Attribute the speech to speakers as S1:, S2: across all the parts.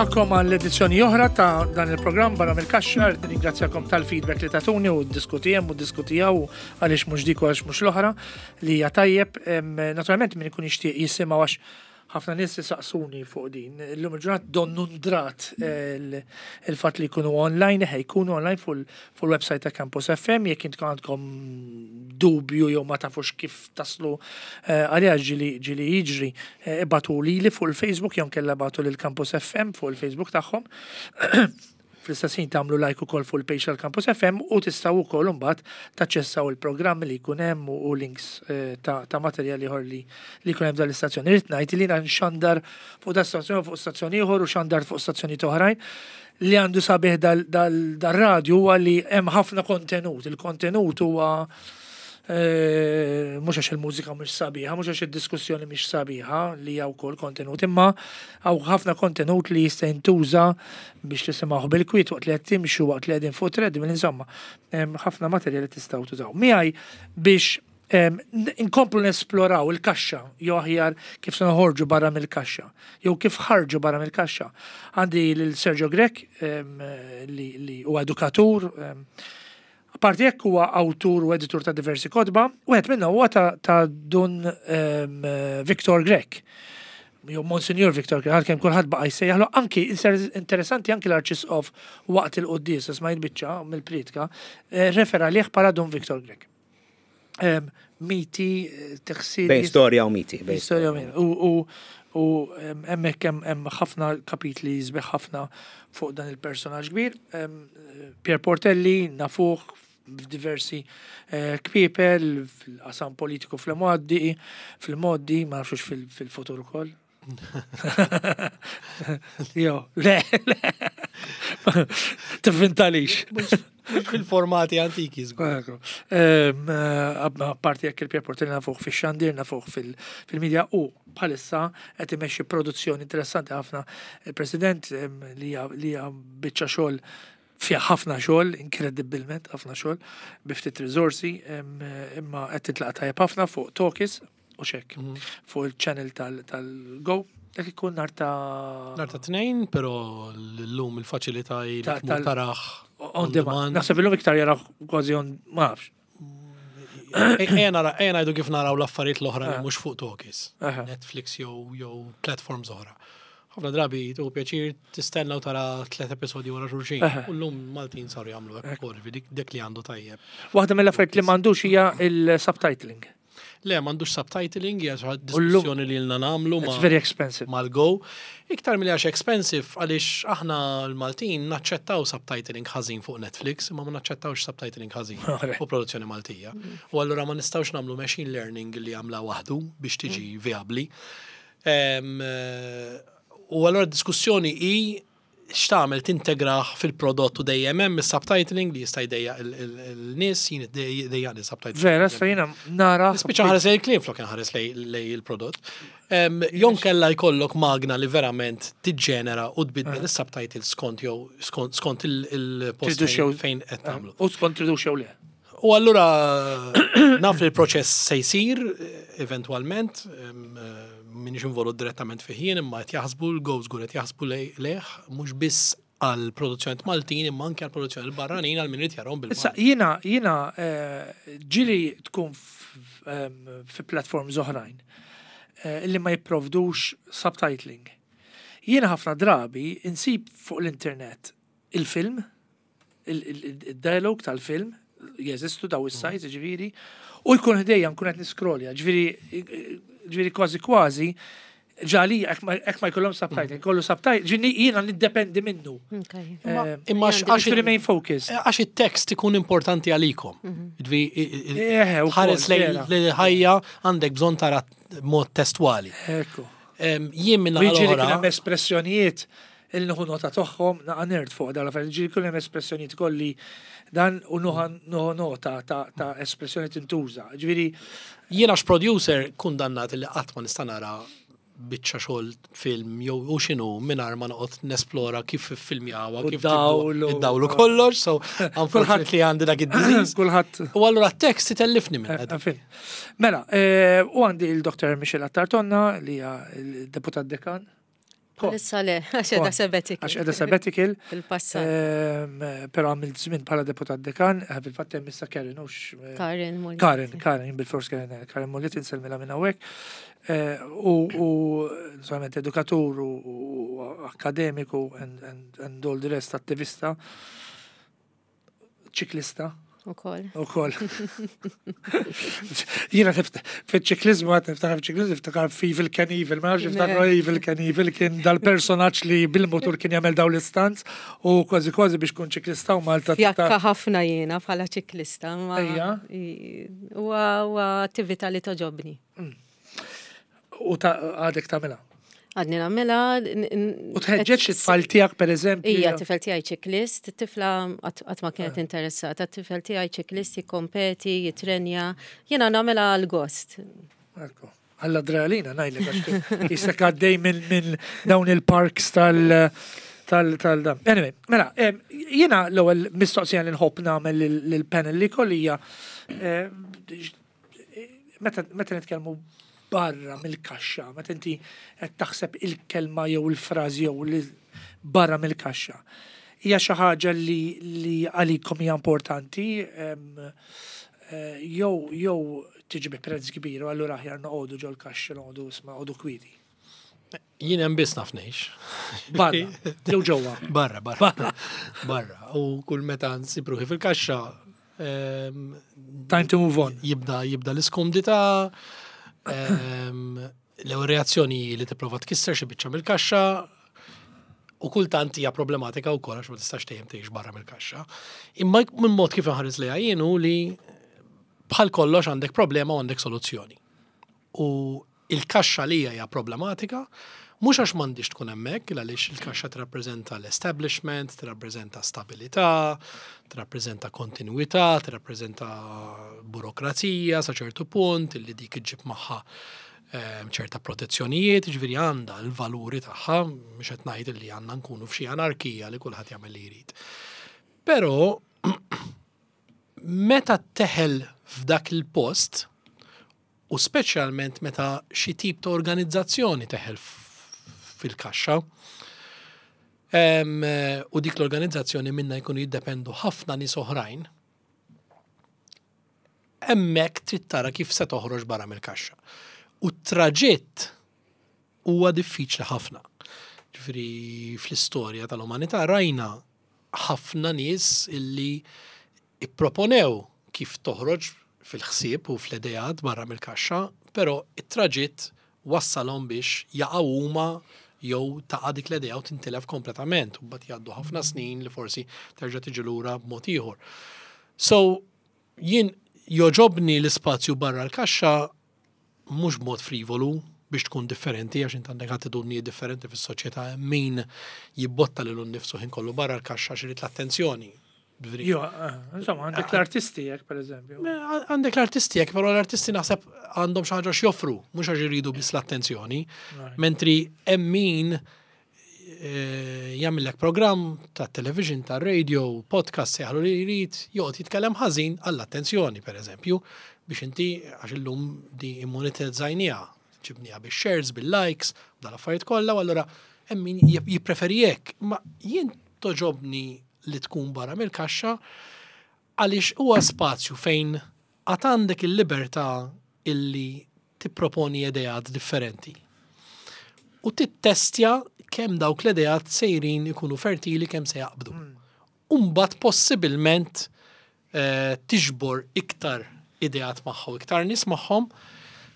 S1: Nilqakom għall edizzjoni oħra ta' dan il-programm barra mill-kaxxa, rrid nirringrazzjakom tal-feedback li tatuni u diskutijem u diskutijaw għaliex mhux dik u għaliex mhux l-oħra li hija tajjeb. Naturalment min ikun jixtieq jisimgħu għax ħafna nies isaqsuni fuq din. Illum il-ġurnata donnu ndrat eh, il-fatt li jkunu online, eħe jkunu online fuq il-website ta' Campus FM, jekk intkom għandkom dubju jew ma tafux kif taslu eh, għaliha ġili ġili jiġri eh, ibatu lili fuq il-Facebook jew kella batu lil Campus FM fuq il-Facebook tagħhom. Fl-istess ħin tagħmlu like ukoll fuq il-page tal-Campus FM u tistgħu wkoll imbagħad taċċessaw il-programmi li jkun hemm u links eh, ta', ta materjal ieħor li li jkun hemm dal-istazzjon. Irrid ngħid li jiena nxandar fuq da stazzjon fuq stazzjon ieħor u xandar fuq stazzjonijiet oħrajn li għandu sabiħ dal-radju huwa li hemm ħafna kontenut. Il-kontenut huwa eh, mhux għax il-mużika mhux sabiħa, mhux għax id-diskussjoni mhix sabiħa li hija wkoll kontenut, imma hawn ħafna kontenut li jista' jintuża biex tisimgħuh bil-kwiet waqt li qed timxu waqt li qegħdin fuq treadmill, insomma, ħafna materjali tistgħu tużaw. Miegħi biex inkomplu nesploraw il-kaxxa, jew aħjar kif se noħorġu barra mill-kaxxa, jew kif ħarġu barra mill-kaxxa. Għandi lil Sergio Grech li huwa edukatur, apparti hekk huwa awtur u editur ta' diversi kotba, wieħed minnhom huwa ta' Dun Victor Grech. Jew Monsignor Victor Grech, għalkemm kulħadd baqa' jsejjaħlu, anki interessanti anki l-Arċisqof waqt il-quddiesa smajt biċċa mill-prietka, eh, refera lih bħala Dun Victor Grech. Miti, eh, teħsir.
S2: Bejn storja u miti.
S1: Bejn storja u miti. U u hemmhekk hemm ħafna kapitli sbieħ ħafna fuq dan il-personaġġ kbir. Pier Portelli nafuh f'diversi eh, kpiepel fil-qasam politiku fl-modi, fil-modi, ma nafxux fil-futur ukoll. Jo, le, le. Tivvintalix.
S3: Fil-formati antiki, żgur.
S1: Eh, apparti jekk il-Pier Portelli nafuh fix-xandir, nafuh fil-media u bħalissa qed imexxi produzzjoni interessanti ħafna il-President li hija biċċa xogħol fiha ħafna xogħol, inkredibbilment ħafna xogħol, bi ftit riżorsi, imma qed titlaqa tajjeb ħafna fuq Talkies u xek, mhm. fuq il-channel tal-Go. Dak ikun nar ta'
S3: Nar ta' tnejn, pero l-lum il-faċilità taraħ
S1: on demand. Naħseb illum iktar jaraħ kważi on, ma nafx.
S3: Ejja ngħidu kif naraw l-affarijiet l-oħra li eh. mhux fuq Talkies. Netflix jew jew platforms oħra. Ħafna drabi tu pjaċir tistenna u tara tlet episodji wara xulxin. U llum Maltin saru jagħmlu hekk ukoll, dik li għandu tajjeb.
S1: Waħda mill-affarijiet li m'għandux hija il-subtitling.
S3: Le, m'għandux subtitling, hija xi diskussjoni li lna nagħmlu
S1: ma' very expensive.
S3: Mal-go. Iktar milli għax expensive għaliex aħna l-Maltin naċċettaw subtitling ħażin fuq Netflix, imma ma naċċettawx subtitling ħażin fuq produzzjoni Maltija. U allura ma nistgħux nagħmlu machine learning li għamla waħdu biex tiġi mm. viabli. U allura diskussjoni hi x'tagħmel tintegrah fil-prodott u dejjem hemm is-subtitling li jista' jdejjaq il-nies, jien jdejjaqni subtitling.
S1: Vera, sa jiena nara.
S3: Nispiċċa ħares lejn il-kliem flok inħares lejn il-prodott. Jon kella jkollok magna li verament tiġġenera u tbiddel eh. is-subtitles skont jew skont il-post fejn qed tagħmlu.
S1: U skont tridux jew le.
S3: U allura naf li l-proċess se jsir eventwalment, minix involut direttament fih jien imma qed jaħsbu l-go żgur qed jaħsbu lejh mhux biss għal produzzjoni Maltin imma anke għal produzzjoni barranin għal min irid jarahom bil
S1: Issa jiena jiena eh, ġili tkun fi platforms oħrajn eh, li ma jipprovdux subtitling. Jiena ħafna drabi insib fuq l-internet il-film il-dialog tal-film, jeżistu daw is-sites, mm. ġifieri, u jkun ħdejja nkun qed niskrolja, ġifieri ġifieri kważi kważi ġali hekk ma jkollhom subtitle, mm. kollu subtitle, ġifieri jiena niddependi minnu.
S3: Eh, imma għax
S1: remain focus.
S3: Eh, għax it-tekst ikun importanti għalikom. Mhm. Eh, ħares lejn ħajja għandek bżonn tara mod testwali.
S1: Ekku.
S3: Jien minna
S1: l-oħra. espressjonijiet Il nieħu nota tagħhom, naqa' nerd fuq dawn l-affarijiet, ġieli jkun hemm espressjonijiet kolli dan u nieħu nota ta' espressjoni tintuża. Ġifieri.
S3: Jien għax producer kundannat li qatt ma nista' nara biċċa xogħol film jew u x'inhu mingħajr ma noqgħod nesplora kif iffilmjawha, kif id-dawl u kollox, so unfortunately għandi dak id-disease.
S1: Kulħadd.
S3: U allura t-tekst itellifni minn
S1: eh, Mela, eh, u għandi il-Dr. Michelle Attartonna li hija l-deputat dekan.
S2: Issa le, għax qiegħda sabbatical.
S1: Għax qiegħda sabbatical.
S2: Fil-passat.
S1: Però għamilt żmien bħala deputat dekan, fil-fatt hemm issa Karen, hux.
S2: Karen Mullet.
S1: Karen, Karen, bil-fors Karen, Karen Mullet insellmilha minn hawnhekk. U naturalment edukatur u akademiku and all the rest, attivista, ċiklista.
S2: Ukoll.
S1: Ukoll. Jiena fiċ-ċiklizmu għad niftakar fiċ-ċiklizmu niftakar f'Evel Knievel, ma nafx niftakar Evel Knievel kien dal-personaġġ li bil-motur kien jagħmel dawn l-istunts u kważi kważi biex kun ċiklista u Malta.
S2: Fjakka ħafna jiena bħala ċiklista.
S1: Ejja.
S2: Huwa attività li toġobni.
S1: U għadek tagħmilha?
S2: Għadni nagħmilha.
S1: U tħeġġeġ it-tfal tiegħek pereżempju?
S2: Ija, tifel tiegħi ċiklist, tifla qatt ma kienet interessata, tifel tiegħi ċiklist jikkompeti, jitrenja, jiena nagħmilha għal gost.
S1: Ekku. Għall-adrenalina ngħidlek għax jisek għaddej minn dawn il-parks tal- tal tal dan. Anyway, mela, jiena l-ewwel mistoqsija li nħobb nagħmel lill-panel li kolli hija meta nitkellmu barra mill-kaxxa, meta inti qed taħseb il-kelma jew il-frażi jew barra mill-kaxxa. Hija xi ħaġa li għalikom hija importanti jew jew tiġi bi prezz kbir u allura aħjar noqogħdu ġol-kaxxa noqogħdu isma' noqogħdu kwieti.
S3: Jien hemm biss naf ngħix.
S1: Barra, jew ġewwa.
S3: Barra, barra. Barra. U kull meta nsib ruħi fil-kaxxa
S1: Time to move on.
S3: Jibda jibda l-iskumdità, l-ewwel reazzjoni li tipprova tkisser xi biċċa mill-kaxxa u kultant hija problematika wkoll għax ma tistax dejjem tgħix barra mill-kaxxa. Imma minn mod kif inħares lejha jien hu li bħal kollox għandek problema u għandek soluzzjoni. U il-kaxxa li hija problematika, mhux għax m'għandix tkun hemmhekk, għaliex il-kaxxa tirrappreżenta l-establishment, tirrappreżenta stabilità, tirrappreżenta kontinuità, tirrappreżenta burokrazija sa ċertu punt, illi dik iġġib magħha ċerta protezzjonijiet, ġifieri għandha l-valuri tagħha, mhux qed ngħid li għandna nkunu f'xi anarkija li kulħadd jagħmel li jrid. Però meta teħel f'dak il-post, u speċjalment meta xi tip ta' organizzazzjoni teħel fil-kaxxa, u dik l-organizzazzjoni minna jkunu jiddependu ħafna nies oħrajn, hemmhekk trid tara kif se toħroġ barra mill-kaxxa. U t-traġitt huwa diffiċli ħafna. Ġifieri fl-istorja tal-umanità rajna ħafna nies illi ipproponew kif toħroġ fil-ħsieb u fl-ideat barra mill-kaxxa, però it-traġitt wassalhom biex jaqgħu huma jew taqa' dik l-idea u tintilef kompletament u mbagħad jgħaddu ħafna snin li forsi terġa' tiġi lura b'mod ieħor. So jien joġobni l-ispazju barra l-kaxxa mhux b'mod frivolu biex tkun differenti għax int għandek attitudnijiet differenti fis-soċjetà hemm min jibbotta lilu nnifsu ħin kollu barra l-kaxxa għax irid l-attenzjoni.
S1: Jo, insomma, għandek l-artisti jek, per eżempju.
S3: Għandek l-artisti jek, però l-artisti naħseb għandhom xi ħaġa x'joffru, mhux għax iridu biss l-attenzjoni. Mentri hemm min jagħmellek programm ta' television, ta' radio, podcast, sejħlu li jrid, joqgħod jitkellem ħażin għall-attenzjoni, per eżempju, biex inti għax illum di immonetizzajniha, ġibniha bix-shares, bil-likes, dal-affarijiet kollha, u allura hemm min jippreferi hekk. Ma jien toġobni li tkun barra mill-kaxxa għaliex huwa spazju fejn għad għandek il-libertà illi tipproponi ideat differenti. U tittestja kemm dawk l-ideat sejrin ikunu fertili kemm se jaqbdu. Umbagħad possibilment tiġbor iktar ideat magħha u iktar nies magħhom,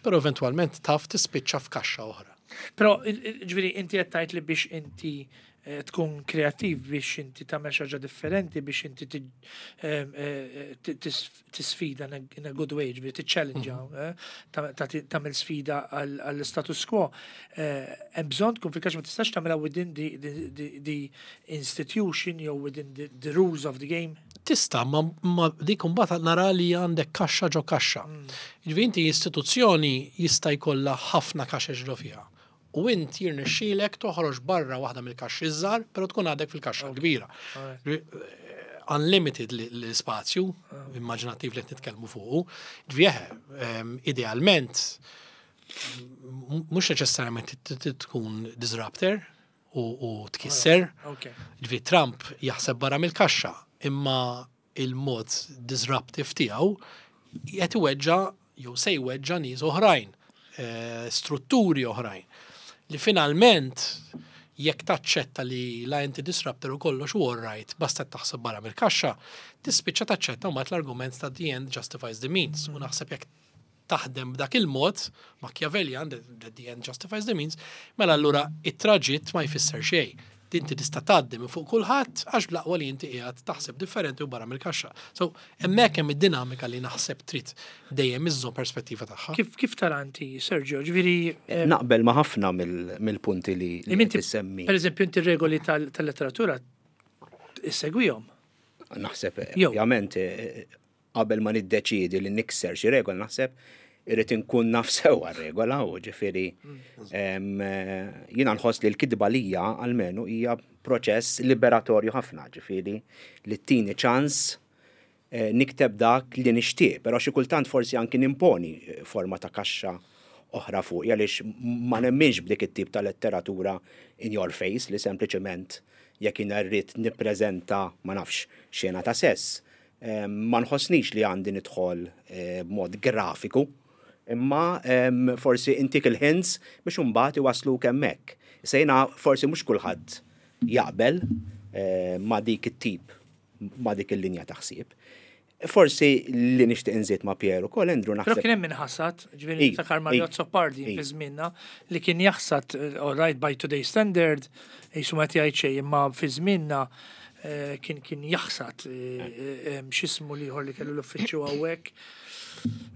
S3: però eventwalment taf tispiċċa f'kaxxa oħra.
S1: Però ġifieri inti qed tgħid li biex inti tkun kreattiv, biex inti tagħmel xi ħaġa differenti, biex inti tisfida in a good way, ġifieri tiċċellenġa, tagħmel sfida għall-status quo. Hemm bżonn tkun fil-kaxxa, ma tistax tagħmilha within the institution jew within the rules of the game.
S3: Tista, ma dik imbagħad nara li għandek kaxxa ġo kaxxa. Ġifieri inti istituzzjoni jista' jkollha ħafna kaxex ġo fiha. U int jirnexxielek toħroġ barra waħda mill-kaxxi żgħar, però tkun għadek fil-kaxxa kbira. Unlimited l-spazju immaġinattiv li qed nitkellmu fuqu. Ġifieri idealment mhux neċessarjament tkun disruptor. u tkisser. Ġifieri Trump jaħseb barra mill-kaxxa, imma il-mod disruptive tiegħu qed iweġġa' jew se jweġġa' nies oħrajn, strutturi oħrajn. Li finalment jekk taċċetta li la inti disruptor u kollox u all right, basta taħseb barra mill-kaxxa, tispiċċa taċċetta mbagħad l-argument ta' the end justifies the means. U naħseb jekk taħdem b'dak il-mod, Machiavellian, that the end justifies the means, mela allura it-traġitt ma jfisser xejn. Inti tista' tgħaddi minn fuq kulħadd għax bl-aqwa li inti qiegħed taħseb differenti u barra mill-kaxxa. So hemmhekk hemm id-dinamika li naħseb trid dejjem iżżomm perspettiva tagħha.
S1: Kif tara inti, Sergio? Ġifieri
S4: Naqbel ma' ħafna mill-punti li tissemmi.
S1: Per eżempju, inti regoli tal-letteratura issegwihom.
S4: Naħseb, ovvjament, qabel ma niddeċiedi li nikser xi regola, naħseb irrid inkun naf sewwa regola u ġifieri jiena nħoss li l-kitba lija almenu hija proċess liberatorju ħafna, ġifieri li tini ċans nikteb dak li nixtieq, però xi kultant forsi anki nimponi forma ta' kaxxa oħra fuq, għaliex ma nemminx b'dik it-tip ta' letteratura in your face li sempliċement jekk jiena rrid nippreżenta, ma nafx, xena ta' sess, ma nħossnix li għandi nidħol b'mod grafiku, imma forsi intik il-hints biex imbagħad iwasluk hemmhekk. Issa jiena forsi mhux kulħadd jaqbel ma' dik it-tip, ma' dik il-linja ta' ħsieb. Forsi li nixtieq inżid ma' Pier ukoll, Andrew,
S1: Però
S4: naħseb.
S1: kien hemm min ħasad, ġifieri niftakar Mario Azzopardi fi żmienna li kien jaħsad, all right, by today's standard, jisu ma jgħid xejn, imma fi żmienna kien jaħsad x'ismu l-ieħor li kellu l-uffiċċju hawnhekk.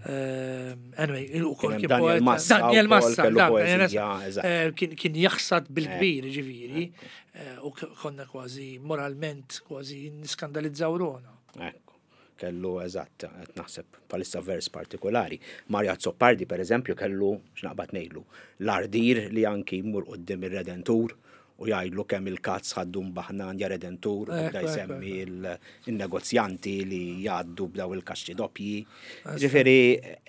S1: Anyway, u kol
S4: Kien
S1: kien
S4: Daniel
S1: poeta.
S4: Massa
S1: Daniel
S4: wkoll
S1: Massa,
S4: kellu
S1: dak, Daniel
S4: poeżija,
S1: Massa.
S4: eżatt.
S1: Kien jaħsad bil-kbir, ġifieri, u konna kważi moralment kważi niskandalizzaw ruħna.
S4: Ekku, kellu eżatt, qed naħseb palissa vers partikolari. Mario Azzopardi, per eżempju, kellu, x'naqbad ngħidlu, l-ardir li anki jmur quddiem ir-Redentur u jgħidlu kemm il-kazz ħaddu mbaħnan ja Redentur, u bda jsemmi il-negozjanti li jgħaddu b'daw il-kaxxi doppji. Ġifieri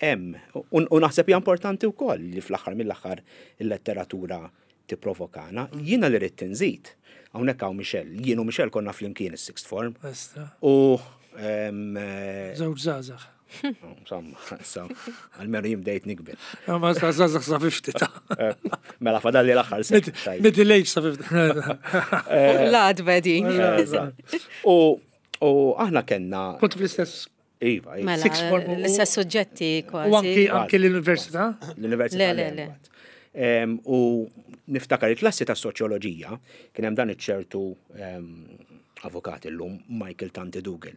S4: hemm, u naħseb hija importanti wkoll li fl-aħħar mill-aħħar il-letteratura tipprovokana. Jiena li rrid inżid, hawnhekk hawn Michelle, jien u Michelle konna flimkien is-sixth form. U
S1: Żewġ żgħażagħ.
S4: Insomma, so, għalmenu jien bdejt nikber.
S1: Ma żgħażagħ sa 50 ta'.
S4: Mela fadalli l-aħħar sena. Tajjeb.
S1: Middle age sa 50.
S2: Lad bedi.
S4: Eżatt. U aħna kellna
S1: Kont fl-istess
S4: Iva, iva.
S2: Mela,
S1: Sixth form u-
S2: l-istess suġġetti kważi.
S1: U anki l-università?
S4: L-università.
S2: Le, le, le.
S4: mbagħad. U niftakar il-klassi ta' soċjoloġija kien hemm dan iċ-ċertu avukat illum Michael Tanti Dougal.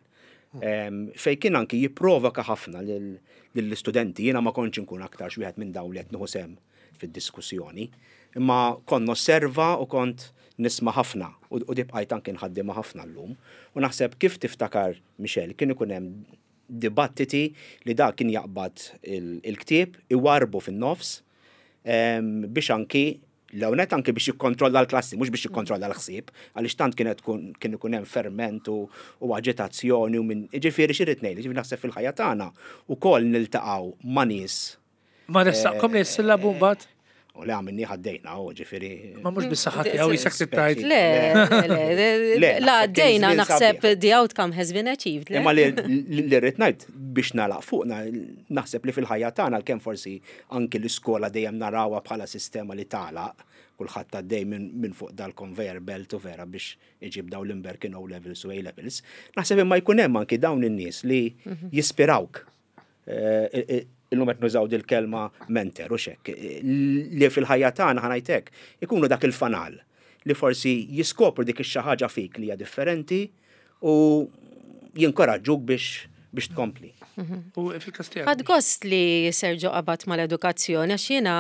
S4: Fej kien anki jipprovoka ħafna lill-istudenti, jiena ma kontx inkun aktar xi wieħed minn dawn li qed nieħu sehem fid-diskussjoni, imma kont nosserva u kont nisma' ħafna u dibqajt anki nħaddimha ħafna llum. U naħseb kif tiftakar Michelle, kien ikun hemm dibattiti li da kien jaqbad il-ktieb, iwarbu fin-nofs, biex anki l-ewnet anki biex jikkontrolla l-klassi, mhux biex jikkontrolla l-ħsieb, għaliex tant kienet tkun, kien ikun hemm ferment u aġitazzjoni u minn, ġifieri xi rrid ngħid, ġifieri naħseb fil-ħajja tagħna ukoll niltaqgħu ma' nies.
S1: Ma ressaqkom li s-sillabu mbagħad?
S4: U le għamilni ħaddejna, u ġifieri.
S1: Ma mhux bis-saħħa tiegħu jisek tittajt.
S2: Le, le, le,
S4: Le,
S2: la
S4: naħseb kien
S2: għaddejna
S4: żmien
S2: naħseb
S4: sabiħ.
S2: the outcome has been achieved. le?
S4: Imma li rrid ngħid biex nagħlaq fuqna, naħseb li fil-ħajja tagħna għalkemm forsi anki l-iskola dejjem narawha bħala sistema li tagħlaq, kulħadd għaddej minn fuq dal-conveyor belt u vera biex iġib daw l-imberkin O levels u A levels. Naħseb imma jkun hemm anki dawn in-nies li jispirawk. Illum qed nużaw dil-kelma mentor u xek, li fil-ħajja tagħna ħanajtek ikunu dak il-fanal li forsi jiskopru dik ix-xi ħaġa fik li hija differenti u jinkoraġġuk biex tkompli.
S1: U fil-każ tiegħek?
S2: Ħadt gost li Sergio qabad mal-edukazzjoni, għax jiena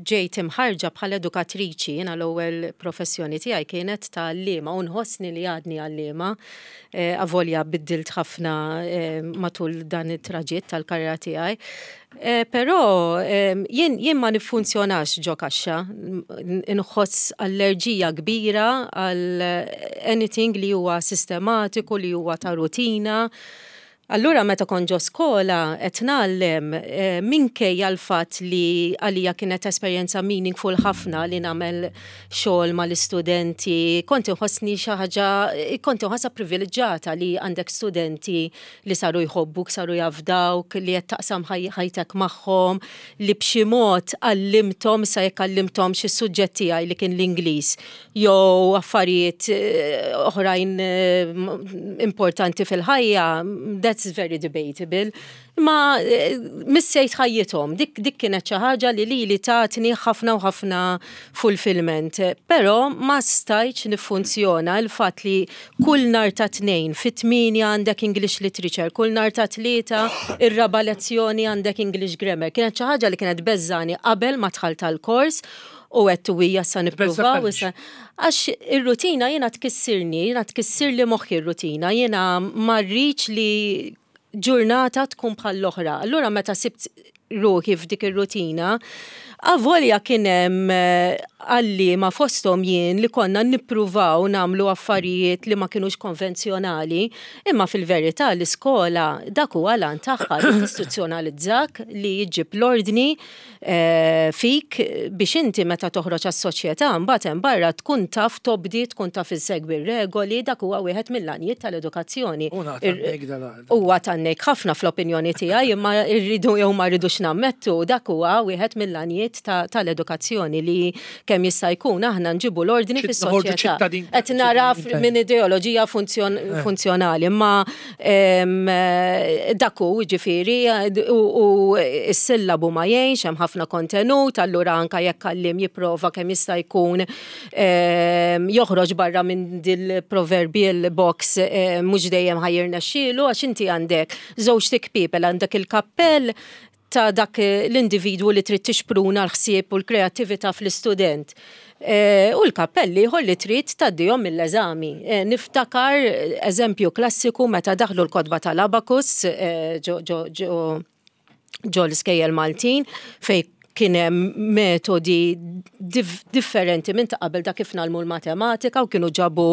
S2: ġejt imħarġa bħala edukatriċi, jiena l-ewwel professjoni tiegħi kienet ta' għalliema u nħossni li għadni għalliema, avolja biddilt ħafna matul dan it-traġitt tal-karriera tiegħi. Però jien ma niffunzjonax ġo kaxxa, nħoss allerġija kbira għal anything li huwa sistematiku, li huwa ta' rutina. Allura meta kont ġo skola qed ngħallem, minkejja l-fatt li għalija kienet esperjenza meaningful ħafna li nagħmel xogħol mal-istudenti, kont inħossni xi ħaġa, kont inħossha privileġġata li għandek studenti li saru jħobbuk, saru jafdawk, li qed taqsam ħajtek magħhom, li b'xi mod għallimthom, issa jekk għallimthomx is-suġġett tiegħi li kien l-Ingliż, jew affarijiet oħrajn importanti fil-ħajja, that's very debatable. Ma missejt ħajjithom, dik, dik kienet xi ħaġa li lili tatni ħafna u ħafna fulfillment. Però ma stajtx niffunzjona il-fatt li kull nhar ta' Tnejn fit-8 għandek English Literature, kull nhar ta' Tlieta ir-raba' lezzjoni għandek English Grammar. Kienet xi ħaġa li kienet beżżani qabel ma dħalt għall-kors u għedt u hija sa nippruvaw issa. Għax ir-rutina jiena tkissirni, jiena tkissirli moħħi r-rutina, jiena ma rridx li ġurnata tkun bħall-oħra. Allura meta sibt ruħi f'dik ir-rutina, avolja kien hemm għalliema fosthom jien li konna nippruvaw nagħmlu affarijiet li ma kinux konvenzjonali, imma fil-verità l-iskola dak huwa l-għan tagħha li tistituzzjonalizzak, li ġġib l-ordni fik biex inti meta toħroġ għas-soċjetà mbagħad hemm barra tkun taf tobdi, tkun taf issegwi r-regoli, dak huwa wieħed mill-għanijiet tal-edukazzjoni. Huwa tgħannejk ħafna fl-opinjoni tiegħi imma rridu jew ma rridux nammettu dak huwa wieħed mill-għanijiet tal-edukazzjoni li kemm jista' jkun aħna nġibu l-ordni fis-soċjetà. Qed nara minn ideoloġija funzjonali imma Dak hu, jiġifieri, u s-sillabu ma jgħinx, hemm ħafna kontenut, allura anke jekk għalliem jipprova kemm jista' jkun joħroġ barra minn dil-proverbial box mhux dejjem ħa jirnexxielu għax inti għandek żewġt ikpiepel, għandek il-kappell ta' dak l-individwu li trid tixpruna l-ħsieb u l-kreattività fl-istudent. U l-kappell l-ieħor li trid tgħaddihom mill-eżami. Niftakar eżempju klassiku meta daħlu l-kotba tal-abacus ġo l-iskejjel Maltin fejn kien hemm metodi differenti minn ta' qabel ta' kif nagħlmu l-matematika u kienu ġabu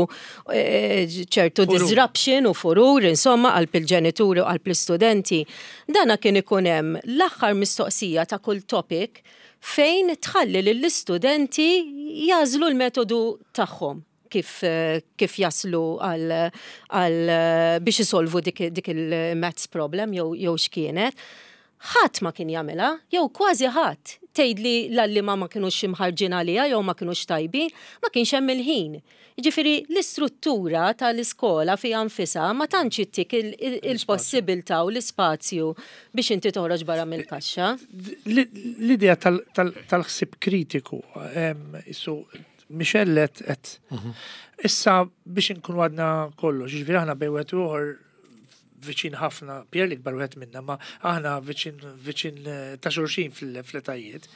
S2: eh, ċertu disruption u furur, insomma, qalb il-ġenituri u qalb l-istudenti. Dana kien ikun hemm l-aħħar mistoqsija ta' kull topic fejn tħalli lill-istudenti jażlu l-metodu tagħhom kif, kif jaslu għal, għal biex isolvu dik, dik il-maths problem jew, jew x'kienet. Ħadd ma kien jagħmilha, jew kważi ħadd. Tgħidli l-għalliema ma kinux imħarrġin għaliha jew ma kinux tajbin, ma kienx hemm il-ħin. Jiġifieri l-istruttura tal-iskola fiha nfisha ma tantx ittik il-possibilità u l-ispazju biex inti toħroġ barra mill-kaxxa.
S1: L-idea tal-ħsieb kritiku, isu Michelle qed issa biex inkunu għadna kollox, jiġifieri aħna bejn wieħed u ieħor viċin ħafna, Pier l-ikbar wieħed minna, ma aħna viċin viċin eh, ta' xulxin fl-etajiet.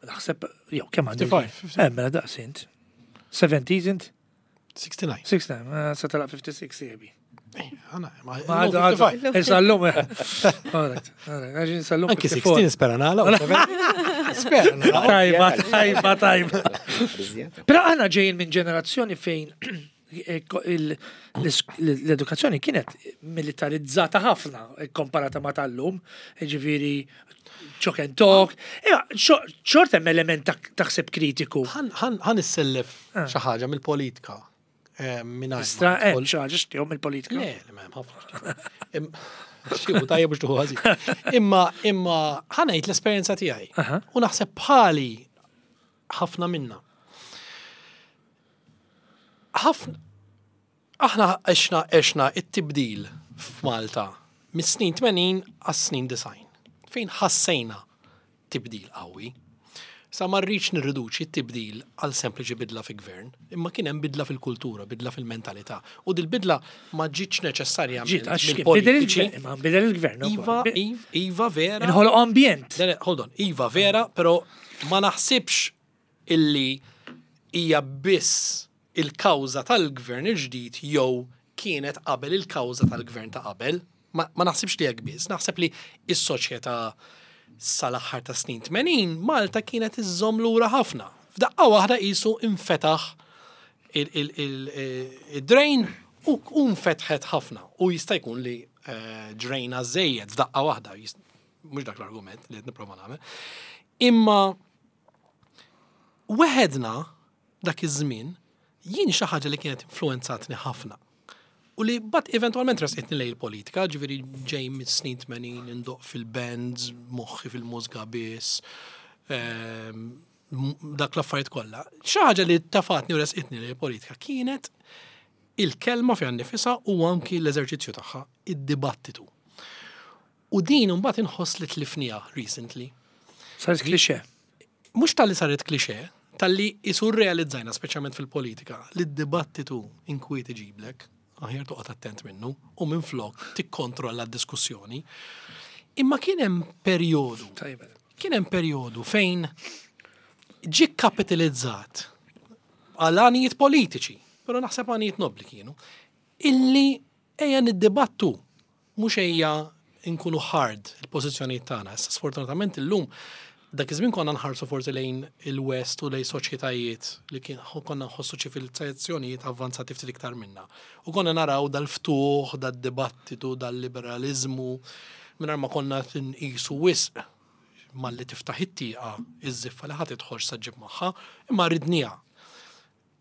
S1: Naħseb, jew kemm għandi?
S3: 55.
S1: Eh, mela daqs int. 70s int?
S3: 69.
S1: 69, eh, sa telaq 56 jebi.
S3: Eh, għana, ma
S1: għadu. Sallum, Alright, alright, sallum.
S3: Anki 16 spera nagħla. Spera nagħla.
S1: Tajba, tajba, tajba. Però aħna ġejjin minn ġenerazzjoni fejn l-edukazzjoni kienet militarizzata ħafna komparata ma tal-lum, ġifiri chalk and talk, xort hemm element ta' ħsieb kritiku.
S3: Ħan issellef ah. xi ħaġa mill-politika. Eh,
S1: Istra hemm xi ħaġa xtihom mill-politika.
S3: Le, le m'hemm ħafna. Xieħu tajjeb biex tuħu ħażin. Imma imma ħanejt l-esperjenza tiegħi. U naħseb bħali ħafna minna. Ħafna aħna għexna għexna it-tibdil f'Malta mis-snin 80 għas-snin 90 fejn ħassejna tibdil qawwi. Sa ma rridx nirriduċi t-tibdil għal sempliċi bidla fi gvern, imma kien hemm bidla fil-kultura, bidla fil-mentalità. U dil-bidla ma ġietx neċessarjament mill-politiċi.
S1: Imma bidel il-gvern.
S3: Iva, iva vera.
S1: Inħoloq ambjent.
S3: Hold on, iva vera, però ma naħsibx illi hija biss il-kawża tal-gvern il-ġdid jew kienet qabel il-kawża tal-gvern ta' qabel. Ma, ma naħsibx li hekk biss, naħseb li s-soċjetà sal-aħħar ta' snin 80 Malta kienet iżżomm lura ħafna. F'daqqa waħda qisu infetaħ il-drain. U nfetħet ħafna u jista' jkun li eh, ġrejna żejjed f'daqqa waħda, mhux dak l-argument li qed nipprova nagħmel. Imma weħedna dak iż-żmien jien xi ħaġa li kienet influenzatni ħafna. U li bat eventualment resqitni lejn il-politika, ġifieri ġej mis-snin 80 indoq fil-bands, moħħi fil-mużga biss, ehm, dak l-affarijiet kollha. Xi ħaġa li tafatni u resqitni lejn il-politika kienet il-kelma fiha nnifisha u anki l-eżerċizzju tagħha, id-dibattitu. U din imbagħad inħoss li tlifniha recently.
S1: Saret klixe.
S3: Mhux talli saret klixe, talli isu rrealizzajna speċjalment fil-politika li d-dibattitu inkwiet iġiblek, aħjar toqgħod attent minnu u minflok tikkontrolla d-diskussjoni. Imma kien hemm perjodu. Kien hemm perjodu fejn ġie kapitalizzat għal għanijiet politiċi, però naħseb għanijiet nobli kienu, illi Ejja niddibattu, mhux ejja nkunu hard il-pożizzjonijiet tagħna. Issa sfortunatament illum dak iż-żmien konna nħarsu forsi lejn il-West u lejn soċjetajiet li kien konna nħossu ċivilizzazzjonijiet avvanzati ftit iktar minna. U konna naraw dal-ftuħ, dad-dibattitu, dal-liberaliżmu, mingħajr ma konna nqisu wisq malli tiftaħ it-tieqa iż-żiffa li ħa tidħol x'sa ġġib magħha, imma ridniha.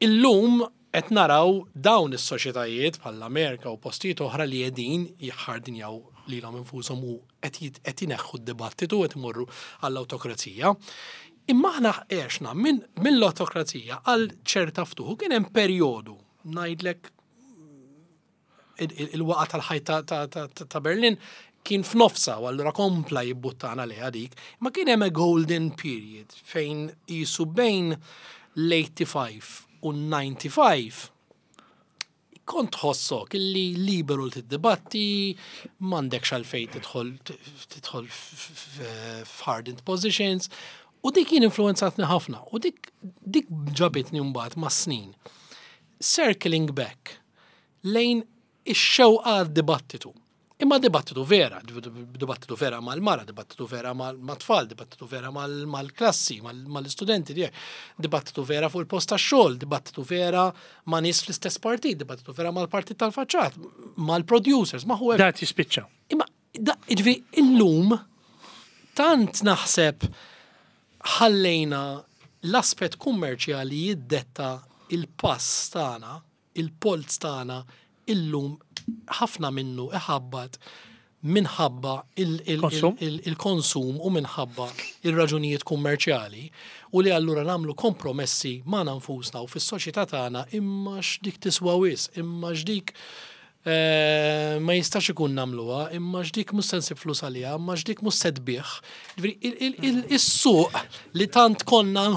S3: Illum qed naraw dawn is-soċjetajiet bħall-Amerika u postijiet oħra li qegħdin jiħħardinjaw lilhom infushom u qed qed ineħħu d-dibattitu qed imorru għall-awtokrazija. Imma aħna għexna minn mill-awtokrazija għal ċerta ftuħ u kien hemm perjodu ngħidlek il-waqa tal-ħajt ta' Berlin kien f'nofsa u allura kompla jibbuttana lejha dik, ma kien hemm a golden period fejn jisu bejn l-85 u l-95 kont tħossok illi liberu li tiddibatti, m'għandekx għalfejn tidħol tidħol f'hardened positions, u dik jien influenzatni ħafna, u dik dik ġabitni mbagħad mas-snin. Circling back lejn ix-xewqa għad-dibattitu. Imma dibattitu vera, dibattitu vera mal-mara, dibattitu vera mat-tfal, dibattitu vera mal-klassi, mal-istudenti tiegħek, dibattitu vera fuq il-post tax-xogħol, dibattitu vera ma' nies fl-istess partit, dibattitu vera mal-partit tal-faċċat, mal-producers, ma'
S1: whoever. Dat jispiċċa.
S3: Imma ġifieri illum tant naħseb ħallejna l-aspett kummerċjali jiddetta il-pass tagħna Il-polz tagħna illum ħafna minnu iħabbat minħabba il-konsum u minħabba il-raġunijiet kummerċjali u li allura nagħmlu kompromessi magħna nfusna u fis-soċjetà tagħna imma x'dik tiswa wisq, imma x'dik Eh, ma jistax ikun nagħmluha, imma x'dik mhux se nsib flus għaliha, imma x'dik mhux se tbigħ. Is-suq li tant konna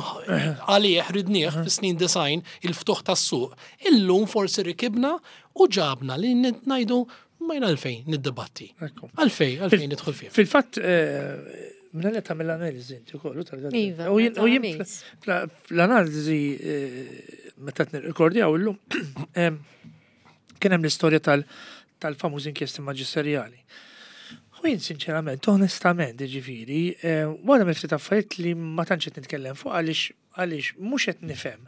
S3: għalih ridnieh fis-snin design, il-ftuħ tas-suq, illum forsi rikibna u ġabna li ngħidu ma jien għalfejn niddibatti. Għalfejn, għalfejn nidħol fih.
S1: Fil-fatt, eh, minna li tagħmel l-analiżi inti ukoll
S2: tal Iva, u
S1: jien fl-analiżi eh, meta nirrekordjaw illum Kien hemm l-istorja tal-famużi inkjesti maġisterjali. U jien sinċerament, onestament, ġifieri, eh, wara mill ftit affarijiet li ma tantx qed nitkellem fuq għaliex għaliex mhux qed nifhem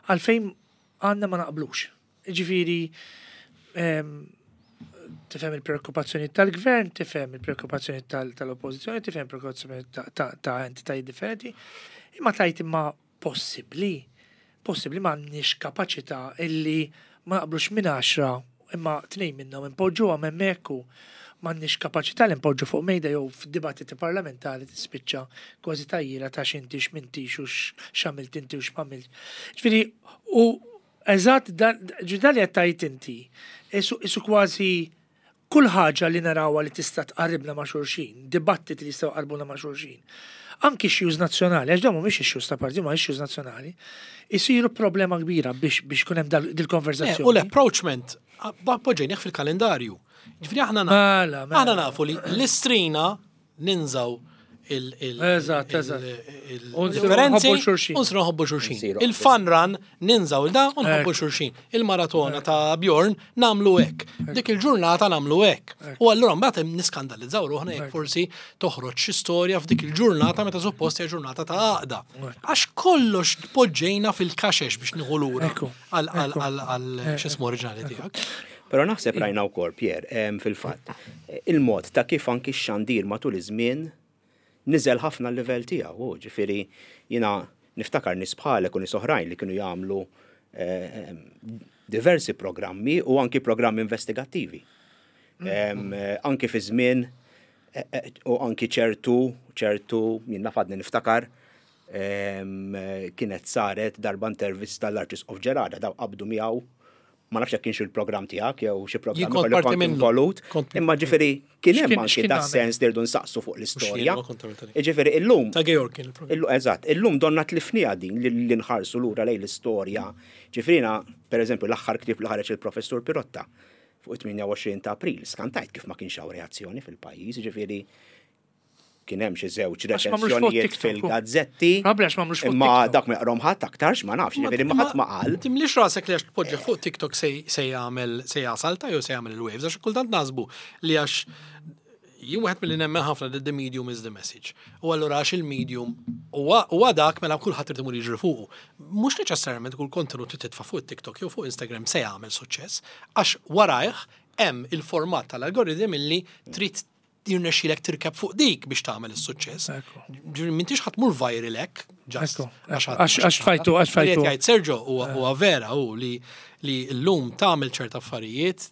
S1: għalfejn għandna ma naqblux. Ġifieri, ehm, tifhem il-preokkupazzjoni tal-gvern, tifhem il-preokkupazzjoni tal-oppożizzjoni, tifhem il-preokkupazzjoni ta' entitajiet differenti, imma tajt imma Possibbli, possibbli m'għandniex kapaċità illi ma naqblux minn għaxra imma tnejn minnhom inpoġġuhom hemmhekk u m'għandniex kapaċità li npoġġu fuq mejda jew f'dibattiti parlamentari tispiċċa kważi tgħajjira ta' x'inti x'm'intix u x'għamilt inti u x'm'għamiltx. Ġifieri u eżatt dan ġifieri dan li qed tgħid inti isu kważi Kull ħaġa li narawha li tista' tqarribna ma' xulxin, dibattiti li jistgħu jqarrbuna ma' xulxin, anki issues nazzjonali, għax dawn mhumiex issues ta' partit, huma issues nazzjonali, isiru problema kbira biex biex ikun hemm dil-konverżazzjoni.
S3: U l-approachment poġġejnieh fil-kalendarju. Ġifieri aħna mela, mela. aħna nafu li l-istrina ninżaw il-differenzi u nsiru nħobbu xulxin. Il-fun run ninżaw il-da u nħobbu xulxin. Il-maratona ta' Bjorn namlu hekk. Dik il-ġurnata namlu hekk. U allura mbagħad niskandalizzaw ruħna jekk forsi toħroġ xi storja f'dik il-ġurnata meta suppost hija ġurnata ta' għaqda. Għax kollox poġġejna fil-kaxex biex nieħu lura għal x'ismu oriġinali tiegħek.
S4: Però naħseb rajna wkoll, Pier, fil-fatt, il-mod ta' kif anki x-xandir matul iż-żmien niżel ħafna l-livell tiegħu, ġifieri jiena niftakar nies bħalek u nies oħrajn li kienu jagħmlu diversi programmi u anki programmi investigattivi. Anki fi żmien u anki ċertu, ċertu, jien naf għadni niftakar, kienet saret darba intervista l-Arċisqof Ġerarda, daw qabdu miegħu ma nafx jekk kienx il-programm tiegħek jew xi programm ieħor li kont involut, imma ġifieri kien hemm anki da sens li rridu nsaqsu fuq l-istorja. Ġifieri illum.
S3: Ta' Georg kien il-programm.
S4: Eżatt, illum donna tlifniha din li nħarsu lura lejn l-istorja. Ġifieri jiena, pereżempju, l-aħħar ktieb li ħareġ il-Professur Pirotta fuq it-28 ta' April, skantajt kif ma kienx hawn reazzjoni fil-pajjiż, ġifieri kien hemm xi żewġ reċensjonijiet fil-gazzetti. Imma dak ma jaqrom ħadd aktarx ma nafx, ġifieri ma ħadd ma qal.
S3: Timlix rasek li għax tpoġġi fuq TikTok se jagħmel se jasalta jew se jagħmel il-waves għax kultant naħsbu li għax jien wieħed milli nemmen ħafna li the medium is the message. U allura għax il-medium huwa dak mela kulħadd irid imur jiġri fuqu. Mhux neċessarjament kull kontenut li titfa' fuq TikTok jew fuq Instagram se jagħmel suċċess, għax warajh hemm il-format tal-algoritm illi trid jirnexxilek tirkeb fuq dik biex tagħmel is-suċċess. Ġifieri m'intix ħadd mur viral hekk,
S1: just għax fajtu, għax fajtu.
S3: Jgħid Sergio huwa vera hu li li llum tagħmel ċerta affarijiet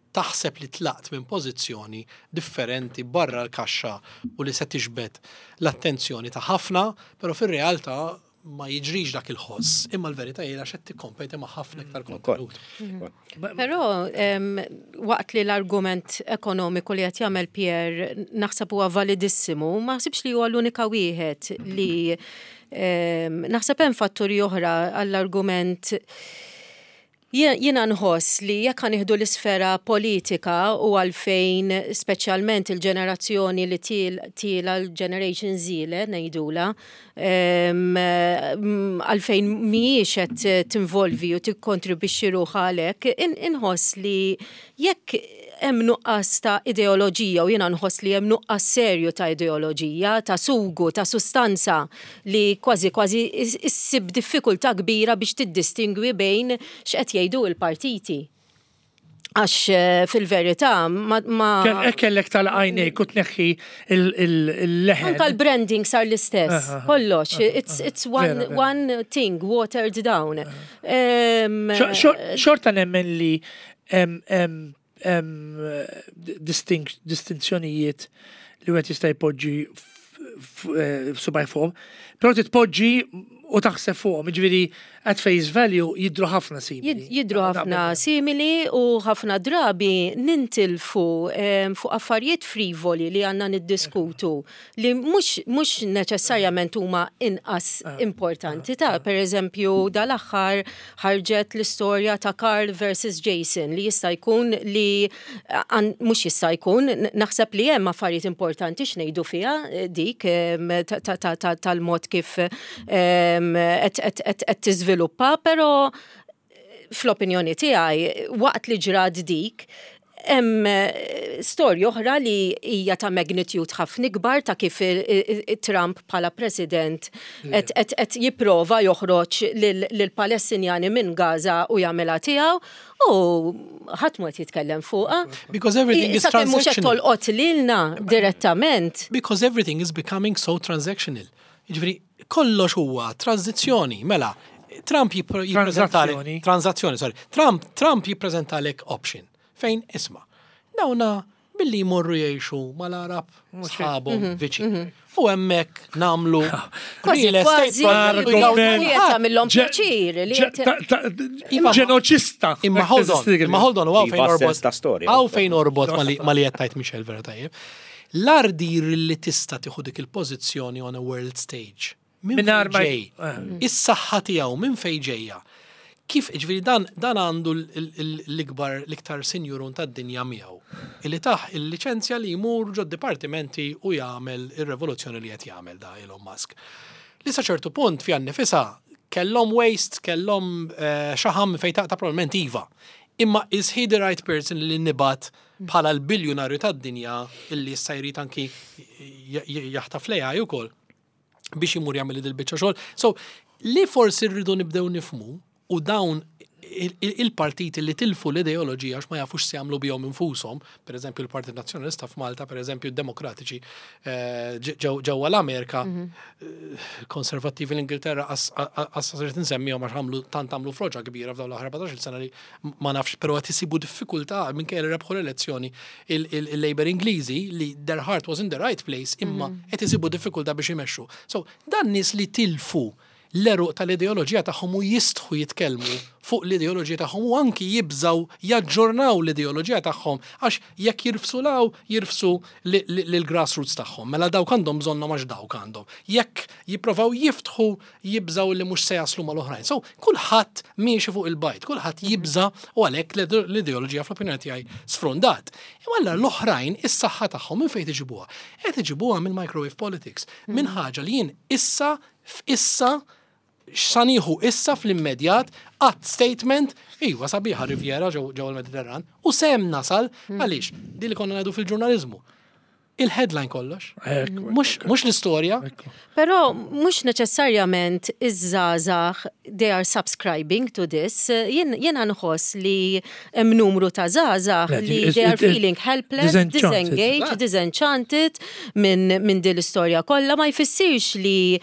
S3: taħseb li tlaqt minn pożizzjoni differenti barra l-kaxxa u li se tiġbed l-attenzjoni ta' ħafna, però fir-realtà ma jiġrix dak il-ħoss, imma l-verità hija għax qed tikkompeti ma' ħafna iktar kontenut.
S2: Però waqt li l-argument ekonomiku li qed jagħmel Pierre naħseb huwa validissimu, ma naħsibx li huwa l-unika wieħed li naħseb hemm fatturi oħra għall-argument. Jiena nħoss li jekk ħa nieħdu l-isfera politika u għalfejn speċjalment il-ġenerazzjoni li tiela l-Generation Z le ngħidulha, għalfejn mhijiex qed tinvolvi u tikkontribwixxi ruħha għalhekk, inħoss li jekk hemm nuqqas ta' ideoloġija u jiena nħoss li hemm nuqqas serju ta' ideoloġija, ta' sugu, ta' sustanza li kważi kważi issib diffikultà kbira biex tiddistingwi bejn x'qed jgħidu l-partiti. Għax fil-verità ma.
S1: Hekk kellek tagħlaq għajnejk u tneħħi il-leħen.
S2: Anka l-branding sar l-istess, kollox. It's one, one thing watered down.
S1: Xorta nemmen li hemm distinzjonijiet li wieħed jista' jpoġġi subaj fuqhom, però titpoġġi u taħseb fuqhom, jiġifieri at face value jidhru ħafna simili.
S2: Jidhru ħafna simili u ħafna drabi nintilfu fuq affarijiet frivoli li għandna niddiskutu li mhux mhux neċessarjament huma inqas importanti ta' pereżempju dal-aħħar ħarġet l-istorja ta' Karl versus Jason li jista' jkun li mhux jista' jkun naħseb li hemm affarijiet importanti x'ngħidu fiha dik tal-mod kif qed tiżviluppa, però fl-opinjoni tiegħi waqt li ġrat dik hemm storja oħra li hija ta' magnitude ħafna ikbar ta' kif Trump bħala president qed jipprova joħroġ lill-Palestinjani minn Gaza u jagħmilha tiegħu u ħadd mhu qed jitkellem fuqha.
S3: Because everything is
S2: Sakemm mhux qed
S3: transactional.
S2: tolqot lilna direttament.
S3: Because everything is becoming so transactional. Jiġifieri kollox huwa tranzizzjoni, mela Trump jippreżentalek transazzjoni, sorry. Trump Trump jippreżentalek option fejn isma' dawna billi jmorru jgħixu mal-Arab sħabhom mhm, viċin. Mhm. U hemmhekk nagħmlu
S2: real estate jagħmilhom pjaċir li
S1: ġenoċista.
S3: Imma hold on, imma hold on, fejn orbot. Hawn fejn orbot ma li qed tajt Michel vera tajjeb. L-ardir li tista' tieħu dik il-pożizzjoni on a world stage. Minn fejn ġej? Is-saħħa tiegħu minn fejn ġejja? Kif, ġifieri dan dan għandu l-ikbar l-iktar sinjurun tad-dinja miegħu. Illi tah il-liċenzja li jmur ġod-dipartimenti u jagħmel ir-revoluzzjoni li qed jagħmel da Elon Musk. Li sa ċertu punt fiha nnifisha kellhom waste, kellhom xaħam minn fejn taqta' probabbilment iva. Imma is he the right person li nibgħat bħala l-biljunarju tad-dinja illi issa jrid anki jaħtaf l-AI ukoll biex imur jagħmel dil-biċċa xogħol. So, li forsi rridu nibdew nifmu u dawn Il-partiti li tilfu l-ideoloġija għax ma jafux se jagħmlu bihom infushom, per eżempju l-Partit Nazzjonalista f'Malta, per eżempju d-Demokratiċi eh, ġewwa l-Amerika, mhm. eh, konservattivi l-Ingilterra qas rrid insemmihom għax għamlu tant għamlu froġa kbira f'dawn l-aħħar 14 sena li ma nafx però qed isibu diffikultà minkejja li rebħu l-elezzjoni il-Labour Ingliżi li their heart was in the right place imma mhm. qed isibu diffikultà biex imexxu. So dan nies li tilfu l-għeruq tal-ideoloġija tagħhom u jistħu jitkellmu fuq l-ideoloġija tagħhom u anki jibżgħu jaġġornaw l-ideoloġija tagħhom għax jekk jirfsu 'l hawn jirfsu lill-grassroots tagħhom. Mela dawk għandhom bżonnhom għax dawk għandhom. Jekk jipprovaw jiftħu jibżgħu li mhux se jaslu mal-oħrajn. So kulħadd miexi fuq il-bajd, kulħadd jibża' u għalhekk l-ideoloġija fl-opinjoni tiegħi sfrundat. Imma allura l-oħrajn is-saħħa tagħhom minn fejn iġibuha? Qed iġibuha mill-microwave politics, minn ħaġa li jien issa F'issa, x'sa nieħu issa fl-immedjat, qatt statement, iva sabiħa Riviera ġewwa l-Mediterran, u sehem nasal, għaliex, din li konna ngħidu fil-ġurnaliżmu. Il-headline kollox. Mhux l-istorja.
S2: Però mhux neċessarjament iż-żgħażagħ they are subscribing to this. Jiena nħoss li hemm numru ta' żgħażagħ li they are feeling helpless, disengaged, disenchanted minn min din l-istorja kollha ma jfissirx li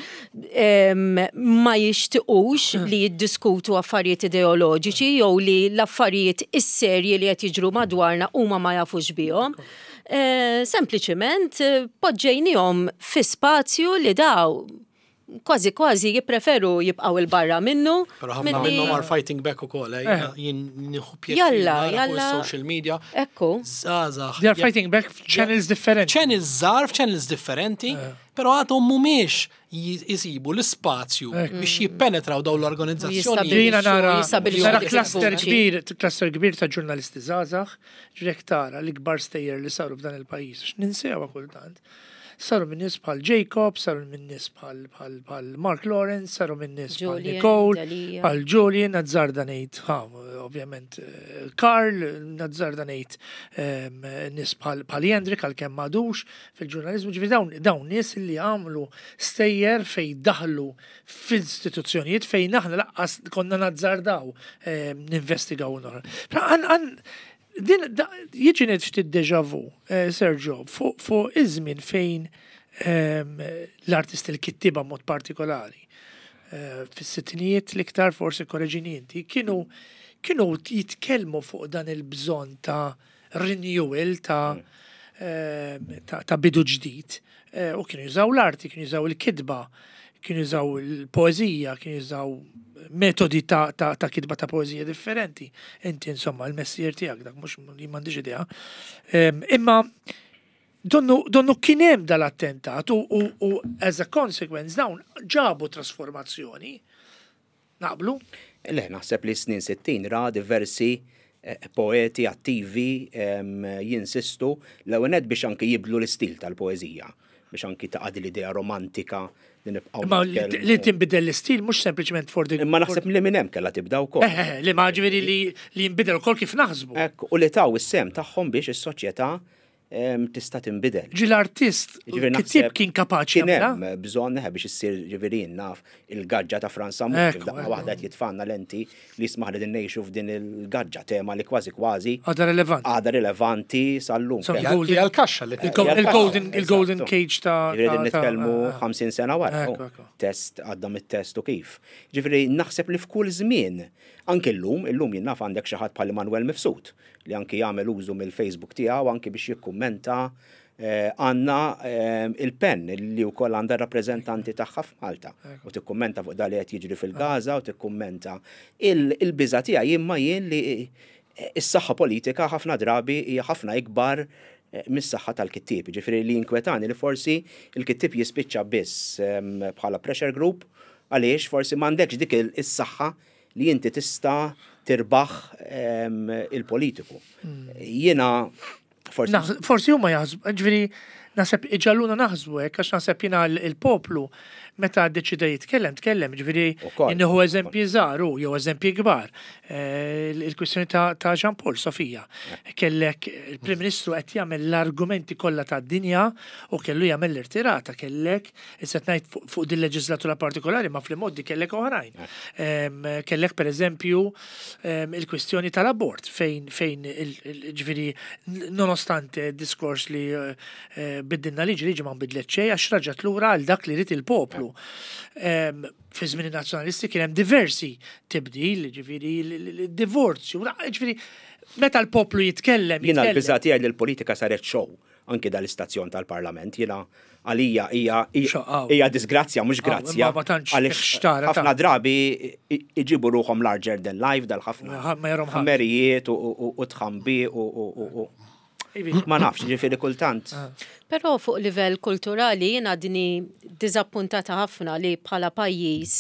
S2: ma jixtiqux mm. li jiddiskutu affarijiet ideoloġiċi jew li l-affarijiet is-serji li qed jiġru madwarna huma ma jafux bihom. Eh, sempliċiment eh, poġġejnihom fi spazju li daw kważi kważi jippreferu jibqgħu 'il barra minnu.
S3: Però ħafna minnhom are fighting back ukoll, eh, eh. jien nieħu
S2: pjaċir. Jalla, jalla.
S3: Social media.
S2: Ekku.
S3: Żgħażagħ.
S1: They are fighting back f'channels differenti.
S3: Channels żgħar f'channels differenti, eh. però għadhom mhumiex jisibu l-ispazju biex jippenetraw dawn l-organizzazzjoni.
S1: Jiena nara nara cluster kbir, cluster kbir ta' ġurnalisti żgħażagħ, ġrek tara l-ikbar stejjer li saru f'dan il-pajjiż, x'ninsewha kultant. Saru minn nies bħal Jacob, saru minn nies bħal Mark Lawrence, saru minn nies bħal Nicole, bħal Julian, nazzarda ngħid, ovvjament eh, Karl, nazzarda ngħid ehm, nies bħal Jendrik għalkemm m'għadux fil-ġurnaliżmu, ġifieri dawn dawn nies li għamlu stejjer fejn daħlu fl-istituzzjonijiet fejn aħna laqqas konna nazzardaw ehm, ninvestigaw nora. Din jiġi ngħid ftit deja vu, eh, Sergio, fuq iż-żmien fejn ehm, l-artisti l-kittieba mod partikolari eh, fis-sittinijiet l-iktar forsi korreġini inti, kienu kienu jitkellmu fuq dan il-bżonn ta' renewal ta' mm. ehm, ta' bidu ġdid eh, u kienu jużaw l-arti, kienu jużaw il-kitba, kienu jużaw il-poeżija, kienu jużaw metodi ta', ta, ta kitba ta' poeżija differenti. Inti insomma il-messier tiegħek dak mhux li m'għandix idea. Imma donnu, donnu kien hemm dal-attentat u, u, u as a consequence dawn ġabu trasformazzjoni. Naqblu?
S4: Le, naħseb li snin 60 ra diversi eh, poeti attivi jinsistu l-ewwel biex anki jibdlu l-istil tal-poeżija biex anki taqa' din l-idea romantika li nibqgħu.
S1: Imma li tinbidel l-istil mhux sempliċement for the.
S4: Imma naħseb li minn hemm kellha tibda wkoll.
S1: Eh, eh, li ma ġifieri li jinbidel ukoll kif naħsbu.
S4: Ekk, u li taw is-sehem tagħhom biex is-soċjetà tista' tinbidel.
S1: Ġi l-artist, kittieb kien kapaċi
S4: Kien hemm bżonn eh, biex issir ġifieri naf il-gaġġa ta' Franz Sammut, daqqa waħda qed jitfanna lenti li jismaħ li din ngħixu f'din il-gaġġa tema li kważi kważi.
S1: Għadha rilevanti.
S4: Għadha rilevanti sal-lum.
S3: Hija l-kaxxa li
S1: Il-golden il-golden cage ta'
S4: Ġifieri nitkellmu 50 sena wara. Oh, test għadda mit-test u kif. Ġifieri naħseb li f'kull żmien, anke llum, illum jien naf għandek xi ħadd bħal Immanuel Mifsud li anki jagħmel użu mill-Facebook tiegħu anki biex jikkummenta eh, għandna eh, il-PEN li wkoll għandha rappreżentanti tagħha f'Malta u tikkummenta fuq dak li qed jiġri fil-Gaza u tikkummenta il-biża tiegħi imma jien li eh, is-saħħa politika ħafna drabi hija ħafna ikbar mis-saħħa tal-kittieb. Ġifieri li jinkwetani li forsi il-kittieb jispiċċa biss bħala pressure group għaliex forsi m'għandekx dik is-saħħa li inti tista' tirbaħ il-politiku. Jiena
S1: forsi. Forsi huma jaħsbu, ġifieri naħseb iġalluna naħsbu hekk għax naħseb jiena l-poplu meta ddeċida jitkellem, tkellem, ġifieri nieħu eżempji żgħar u jew eżempji kbar. Eh, il-kwistjoni ta' Jean Paul Sofija. Kellek il-Prim Ministru qed jagħmel l-argumenti kollha tad-dinja u kellu jagħmel l-irtirata, kellek issa ngħid fuq din leġislatura partikolari ma fl-modi kellek oħrajn. Kellek pereżempju il-kwistjoni tal-abort fejn fejn ġifieri nonostante diskors li eh, biddilna liġi, liġi ma nbidlet xejn għax raġat lura għal dak li rid il-poplu. Fi żmien in-nazzjonalisti kien hemm diversi tibdil, ġifieri l-divorzju, ġifieri meta l-poplu jitkellem.
S4: Jiena l-biża' tiegħi li l-politika saret show anki dal-istazzjon tal-Parlament, jiena għalija hija hija disgrazzja mhux grazzja. Għaliex ħafna drabi iġibu ruħhom larger than life dal-ħafna. Ħmerijiet u tħambi u Ma nafx, ġifieri kultant. Ah.
S2: Però fuq livell kulturali jiena għadni diżappuntata ħafna li bħala pajjiż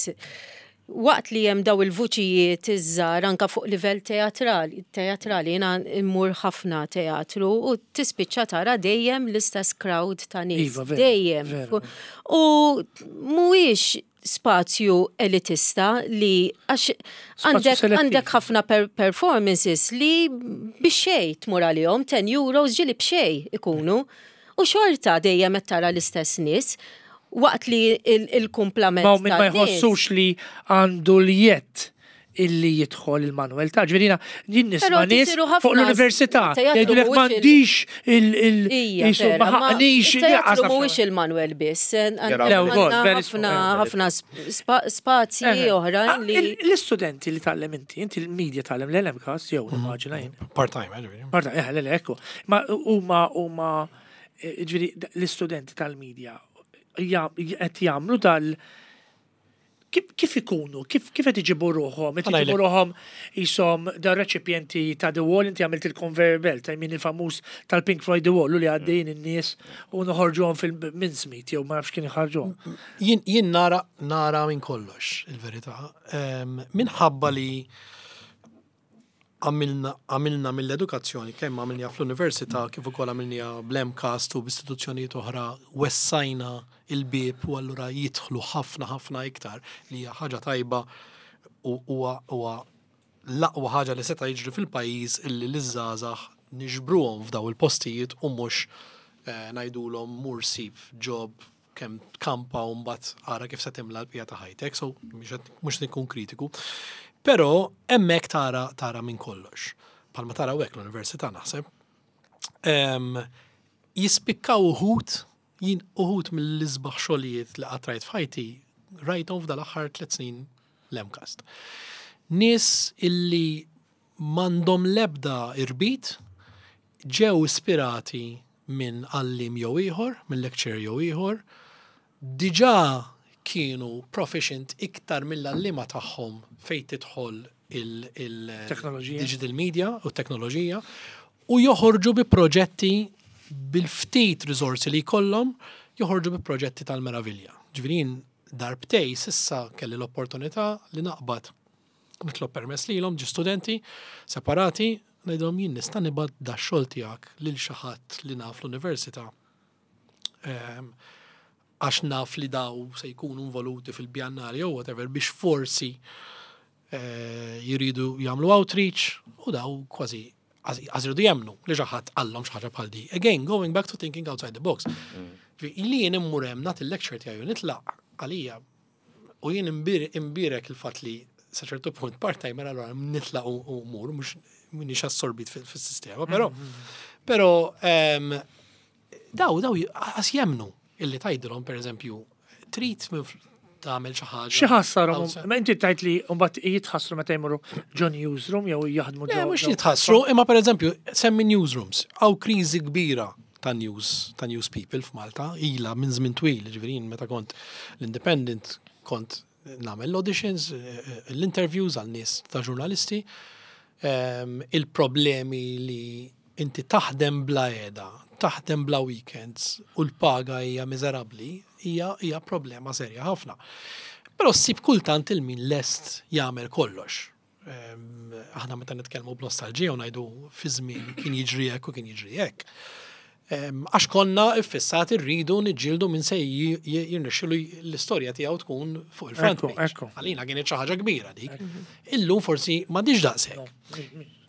S2: waqt li hemm daw il-vuċijiet iż-żgħar anka fuq livell teatrali, teatrali jiena mmur ħafna teatru u tispiċċa tara dejjem l-istess crowd ta' nies. Iva, dejjem. U mhuwiex spazju elitista li għax għandek ħafna performances li bixxej tmur għalihom 10 euros ġili b'xej ikunu. U xorta dejjem qed tara l-istess nies waqt li il-kumplament.
S1: Ma min ma jħossux li għandu l-jett illi jidħol il-Manuel ta' ġifieri jien nisma' nies fuq l-università jgħidulek m'għandix il ma ħaqnix
S2: il-teatru mhuwiex il-Manuel biss. Ħafna ħafna spazji oħra ah,
S1: li l-istudenti li tgħallem inti, inti l-media tgħallem l-LMKs jew mhm. immaġina jien.
S3: Part-time, eh,
S1: Part-time, eh, le, ekku. Ma huma huma eh, ġifieri l-istudenti tal-media qed jagħmlu dal Kif ikunu? Kif qed iġibu ruħhom? Qed iġibu ruħhom qishom dar reċipjenti ta' The Wall, inti għamilt il-conveyor belt, I mean il-famuż tal-Pink Floyd The Wall, u li għaddejjin in-nies u noħorġuhom fil-mincemeat jew ma nafx kien iħarġuhom.
S3: Jien nara nara minn kollox il-verità. Minħabba li għamilna mill-edukazzjoni kemm għamilniha fl-università kif ukoll għamilniha bl-MCAST u b'istituzzjonijiet oħra wessajna il-bieb u allura jidħlu ħafna ħafna iktar li hija ħaġa tajba u huwa l-aqwa ħaġa li seta' jiġri fil-pajjiż illi liż-żgħażagħ niġbruhom f'daw il-postijiet u mhux eh, ngħidulhom mur sib job kemm tkampa u mbagħad ara kif se timla l-bqija ta' ħajtek, so mhux nkun kritiku. Però hemmhekk tara tara minn kollox. Palma tara hekk l-università naħseb. Jispikkaw uħud, jien uħud mill-isbaħ xogħlijiet li qatt rajt f'ħajti rajthom f'dal-aħħar tliet snin l-MCAST. Nies illi m'għandhom l-ebda irbit, ġew ispirati minn għalliem jew ieħor, minn lecturer jew ieħor, diġà kienu proficient iktar mill-għalliema tagħhom fejn tidħol il-digital media u t-teknoloġija u joħorġu bi proġetti bil-ftit riżorsi li jkollhom joħorġu bi proġetti tal-meravilja. Ġifieri jien darbtej s'issa kelli l-opportunità li naqbad nitlob permess lilhom ġi studenti separati ngħidilhom jien nista' nibgħat da xogħol tiegħek lil xi ħadd li naf l-università ehm, għax naf li daw se jkunu involuti fil-bjannali jew whatever biex forsi eh, jiridu jagħmlu outreach u daw kważi għaż jridu jemmnu li xi ħadd qallhom xi ħaġa bħal di. Again, going back to thinking outside the box. Mm. Li jien immur hemm nagħti l-lecture tiegħi u nitlaq għalija U jien imbierek il-fatt li sa ċertu punt part-timer allura nitlaq u mur, mhux minix assorbit fis-sistema, però però ehm, daw daw għas jemnu illi tajdilhom pereżempju trid tagħmel xi ħaġa.
S1: Xi ħassarhom? Ma inti tajt li mbagħad jitħassru meta jmorru ġo newsroom jew jaħdmu
S3: ġo. Mhux jitħassru, imma pereżempju semmi newsrooms, hawn kriżi kbira ta' news, ta' news people f'Malta, ilha minn żmien twil, ġifieri jien meta kont l-Independent kont nagħmel l-auditions, eh, eh, l-interviews għal nies ta' ġurnalisti, ehm, il-problemi li inti taħdem bla qiegħda, taħdem bla weekends u l-paga hija miżerabbli, hija hija problema serja ħafna. Però ssib kultant il-min lest jagħmel kollox. Aħna meta nitkellmu b'nostalġija u ngħidu fi żmien kien jiġri hekk u kien jiġri hekk. Għax konna iffissati rridu niġġieldu min se jirnexxilu l-istorja tiegħu tkun fuq il-front page. Għalina kienet xi ħaġa kbira dik. Illum forsi m'għadix daqshekk.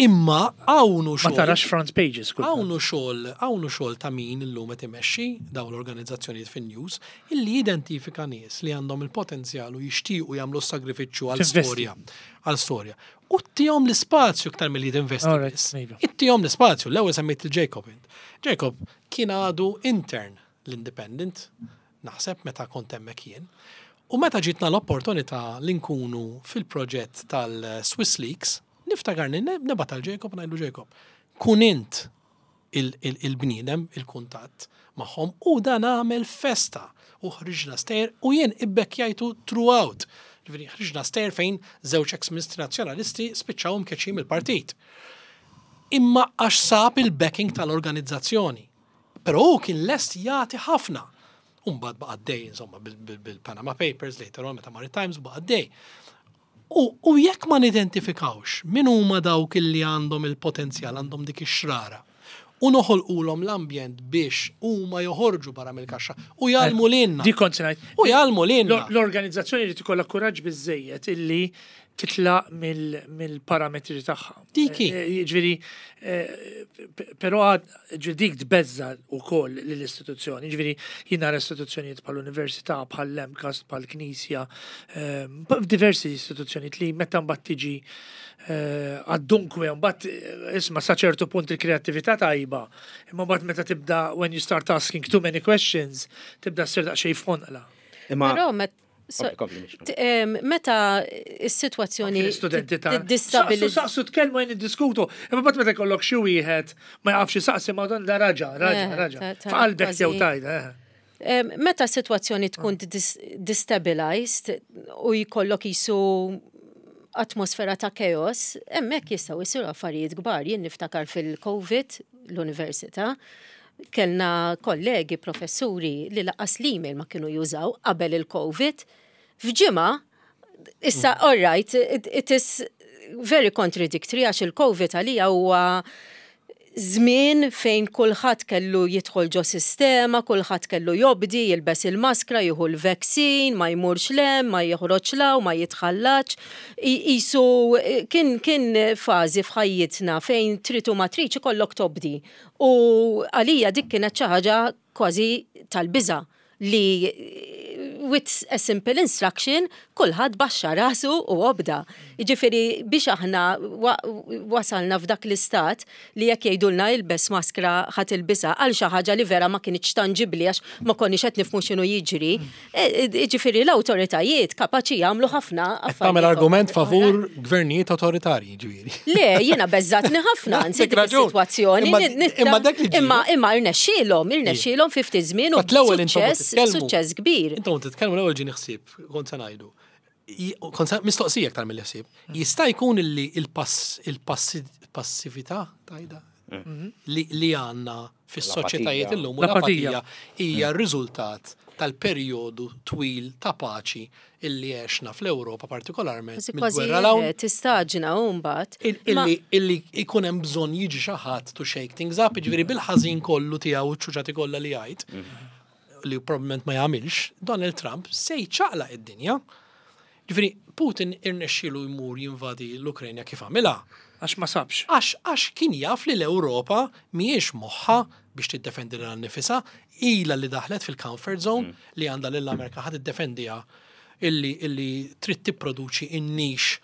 S3: Imma hawn hu
S1: xogħol. Ma tarax front pages.
S3: Hawn hu xogħol, hawn hu xogħol ta' min illum qed imexxi dawn l-organizzazzjonijiet fin-news illi jidentifika nies li għandhom il-potenzjal u jixtiequ jagħmlu s-sagrifiċċju għal storja. Għal storja. U ttihom l-ispazju iktar milli tinvesti biss. Iva. Ittihom l-ispazju, l-ewwel semmejt il-Jacob int. Jacob kien għadu intern l-Independent, naħseb meta kont hemmhekk jien. U meta ġitna l-opportunità li nkunu fil-proġett tal-Swiss Leaks, niftakarni nibgħat għal Jacob ngħidlu Jacob, kun int il-bniedem, il-kuntatt magħhom u dan għamel festa u ħriġna stejjer u jien ibbekkjajtu throughout. Ġifieri ħriġna stejjer fejn żewġ ex-ministri nazzjonalisti spiċċaw imkeċċijin mill-partit. Imma għax sab il-backing tal-organizzazzjoni. Però hu kien lest jagħti ħafna. U mbagħad baqa' għaddej insomma bil-Panama Papers later on meta mar it-Times baqa' għaddej. U jekk ma nidentifikawx min huma dawk illi għandhom il-potenzjal, għandhom dik ix-xrara, u noħolqulhom l-ambjent biex huma joħorġu barra mill-kaxxa u jgħallmu lilna.
S1: Dik kont se ngħid.
S3: U jgħallmu lilna.
S1: L-organizzazzjoni jrid ikollha kuraġġ biżżejjed illi titlaq mill-parametri tagħha.
S3: Dik hi.
S1: Jiġifieri, però ġifieri dik tbeżża' wkoll lill-istituzzjoni. Jiġifieri jien nara istituzzjonijiet bħall-università, bħall-MCAST, bħall-Knisja, diversi istituzzjonijiet li meta mbagħad tiġi għad-dunkwe mbagħad isma' sa ċertu punt il-kreattività tajba, imma mbagħad meta tibda when you start asking too many questions, tibda ssir daqsxejn f'ħonqla.
S4: Imma
S2: Meta s-sitwazzjoni
S1: Studenti ta' Saqsu, saqsu tkellmu għajn niddiskutu, imma mbagħad meta jkollok xi wieħed ma jafx isaqsi ma dan da raġa, raġa, raġa. F'qalbek jew tajda.
S2: Meta s-sitwazzjoni tkun destabilized u jkollok jisu atmosfera ta' chaos, hemmhekk jistgħu jsiru affarijiet kbar. Jien niftakar fil-COVID l-università, kellna kollegi professuri li lanqas l-email ma kienu jużaw qabel il-COVID. F'ġimgħa, issa all right, it, it is very contradictory għax il-COVID għalija huwa żmien fejn kulħadd kellu jidħol ġo sistema, kulħadd kellu jobdi, jilbes il-maskra, jieħu l-vaccine, ma jmurx lem, ma joħroġ law, ma jitħallax. Isu kien kien fażi f'ħajjitna fejn trid u ma tridx ikollok tobdi. U għalija dik kienet xi ħaġa kważi tal-biża' li with a simple instruction kulħadd baxxa rasu u obda. Jiġifieri biex aħna wasalna f'dak l-istat li jekk jgħidulna ilbes maskra ħa tilbisha għal xi ħaġa li vera ma kinitx tanġibbli għax ma konniex qed nifhmu x'inhu jiġri. Jiġifieri l-awtoritajiet kapaċi jagħmlu ħafna
S3: affarijiet. Tagħmel argument favur gvernijiet awtoritarji, ġifieri.
S2: Le, jiena beżżatni ħafna anzi dik is-sitwazzjoni.
S3: Imma dak li
S2: Imma imma irnexxielhom, irnexxielhom fi ftit żmien u suċċess, suċċess kbir.
S3: Intom titkellmu l-ewwel ġieni ħsieb, kont se ngħidu. Kont se mistoqsija aktar milli ħsieb. Jista' jkun illi il-passività tajda li għandna fis-soċjetajiet illum u l-apatija hija r-riżultat tal-perjodu twil ta' paċi illi għexna fl-Ewropa partikolarment mill-gwerra
S2: 'l hawn. Tistaġna u mbagħad.
S3: Illi jkun hemm bżonn jiġi xi ħadd to shake things up, jiġifieri bil-ħażin kollu tiegħu u ċ-ċuċati kollha li jgħid, li probabbilment ma jagħmilx, Donald Trump se jċaqlaq id-dinja. Ġifieri Putin irnexxielu jmur jinvadi l-Ukranja kif għamilha.
S1: Għax ma sabx.
S3: Għax għax kien jaf li l-Ewropa mhijiex moħħha biex tiddefendi lilha nnifisha, ilha li daħlet fil-comfort zone li għandha lill-Amerika ħa tiddefendiha illi illi trid tipproduċi in-niche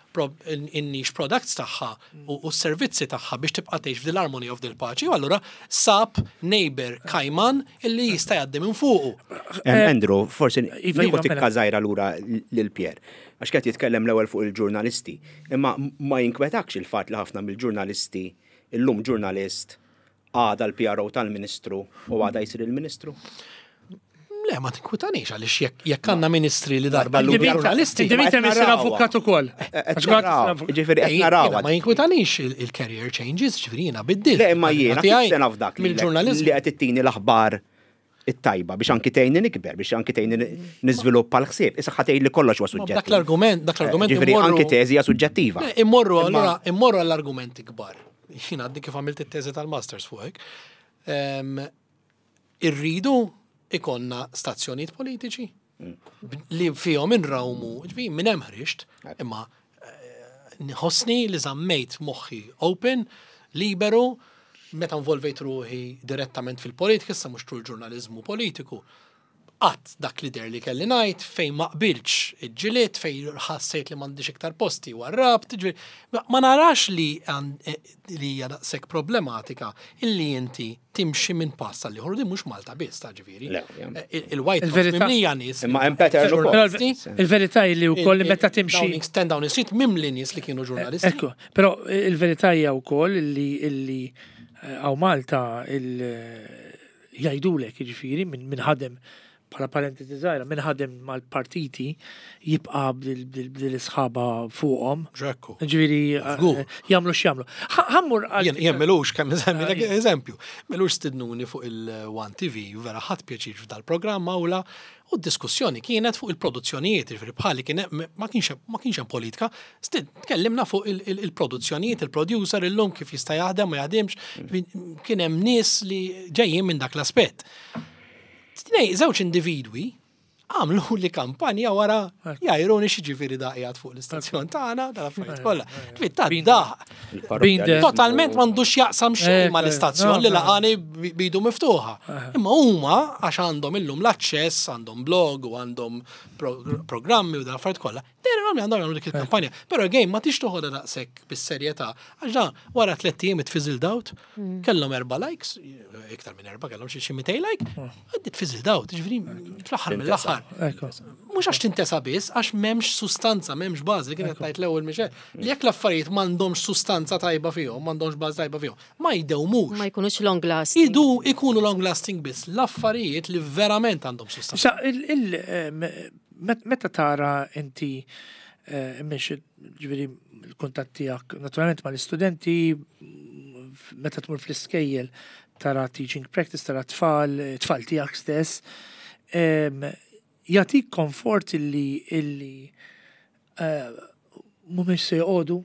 S3: in-niche products tagħha u s-servizzi tagħha biex tibqa' tgħix f'dil armonija u f'dil paċi u allura sab neighbor kajman illi jista' jgħaddi minn fuqu.
S4: Andrew, forsi iva, nieħu iva, tikka mela. żgħira lura lil Pier. Għax qed jitkellem l-ewwel fuq il-ġurnalisti. Imma ma jinkwetakx il-fatt li ħafna mill-ġurnalisti illum ġurnalist għada l-PRO tal-Ministru u għada jsir il-Ministru?
S3: Le, ma tinkwitanix għaliex jekk għandna ministri li darba l ġurnalisti.
S1: Dimita misser avukat ukoll.
S4: Ġifieri qed naraw.
S3: Ma jinkwitanix il-career changes, ġifieri jiena biddil.
S4: Le, imma jiena kif se naf dak mill-ġurnaliżmu li qed ittini l-aħbar it-tajba biex anki tgħinni nikber, biex anki tgħinni niżviluppa l-ħsieb. Issa ħa tgħidli kollox huwa suġġettiv.
S3: Dak l-argument, dak l-argument.
S4: Ġifieri anki teżi hija suġġettiva.
S3: Immorru allura, immorru għall-argumenti kbar. Jien għadni kif għamilt it-teżi tal-masters fuq hekk. Irridu ikollna stazzjonijiet politiċi li fihom inrawmu, ġifieri minn hemm ħriġt, imma eh, nħossni li żammejt moħħi open, liberu, meta involvejt ruħi direttament fil-politika, issa mhux tul ġurnaliżmu politiku, Għadt dak li deher li kelli ngħid, fejn ma qbiltx iġġilidt, fejn ħassejt li m'għandix iktar posti warrabt, jiġifieri ma narax li li hija daqshekk problematika illi inti timxi minn pass għal ieħor u din mhux Malta biss ta' ġifieri. Il-White House mimlija nies.
S4: Imma hemm pattern ukoll.
S1: Il-verità hi li wkoll meta timxi.
S3: Downing, 10 Downing Street mimli nies li kienu ġurnalisti.
S1: Ekku, però il-verità hija wkoll illi hawn Malta il Jgħidulek, jiġifieri, min ħadem, bħala parentesi żgħira, min ħadem mal-partiti jibqa' b'dil is-sħaba fuqhom.
S3: Ġekku.
S1: Jiġifieri jagħmlu x'jagħmlu. Ħa mmur għal.
S3: Jien m'ilux kemm insemmilek eżempju. M'ilux stidnuni fuq il-One TV, vera ħadt pjaċir f'dal-programm awla, U d-diskussjoni kienet fuq il-produzzjonijiet, jiġifieri bħali kien ma kienx ma kienx hemm politika, tkellimna fuq il-produzzjonijiet, il-producer illum kif jista' jaħdem ma jaħdimx, kien hemm nies li ġejjin minn dak l-aspett. Tnej, żewġ individwi għamlu li kampanja wara jgħajruni x'jiġifieri da qiegħed fuq l-istazzjon tagħna, dal-affarijiet kollha. Ġifieri ta' daħ. Totalment m'għandux jaqsam xejn mal-istazzjon li laqani bidu miftuħa. Imma huma għax għandhom illum l-aċċess, għandhom blog u għandhom programmi u dal-affarijiet kollha, dehrilhom li għandhom jagħmlu dik il-kampanja. Però again ma tix toħodha daqshekk bis-serjetà għax dan wara tlett ijiem it fizzled out, kellhom erba' likes, iktar minn erba' kellhom xi 200 like, it fizzled out, jiġifieri fl-aħħar mill-aħħar. Mhux għax tintesa biss, għax m'hemmx sustanza, m'hemmx bażi li kienet tgħid l-ewwel Michelle, li jekk l-affarijiet m'għandhomx sustanza tajba fihom, m'għandhomx bażi tajba fihom, ma jdewmux.
S2: Ma jkunux long lasting.
S3: Idu ikunu long lasting biss l-affarijiet li verament għandhom sustanza.
S1: Sa meta tara inti mhix ġifieri l-kuntatt tiegħek naturalment mal-istudenti meta tmur fl-iskejjel tara teaching practice, tara tfal, tfal tiegħek stess, jagħtik komfort illi illi eh, mhumiex se joqogħdu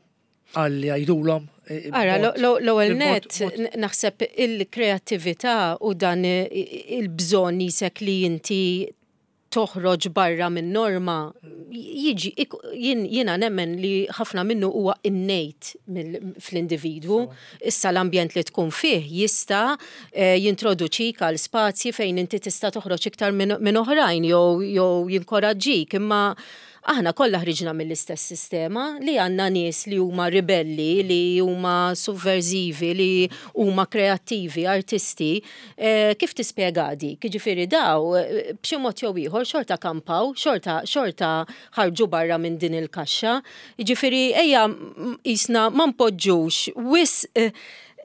S1: għal li jgħidulhom. Eh,
S2: Ara, l-ewwel net naħseb il-kreattività u dan il-bżonn jisek li inti toħroġ barra min-norma jiġi jiena nemmen li ħafna minnu huwa innate fl-individwu. Issa l-ambjent li tkun fih jista' eh, jintroduċik għal spazji fejn inti tista' toħroġ iktar minn oħrajn jew jinkoraġġik imma aħna kollha ħriġna mill-istess sistema li għandna nies li huma ribelli, li huma subversivi, li huma kreattivi, artisti, Eh, kif tispjega dik? Jiġifieri daw eh, b'xi mod jew ieħor xorta kampaw, xorta xorta ħarġu barra minn din il-kaxxa. Jiġifieri ejja qisna ma npoġġux wisq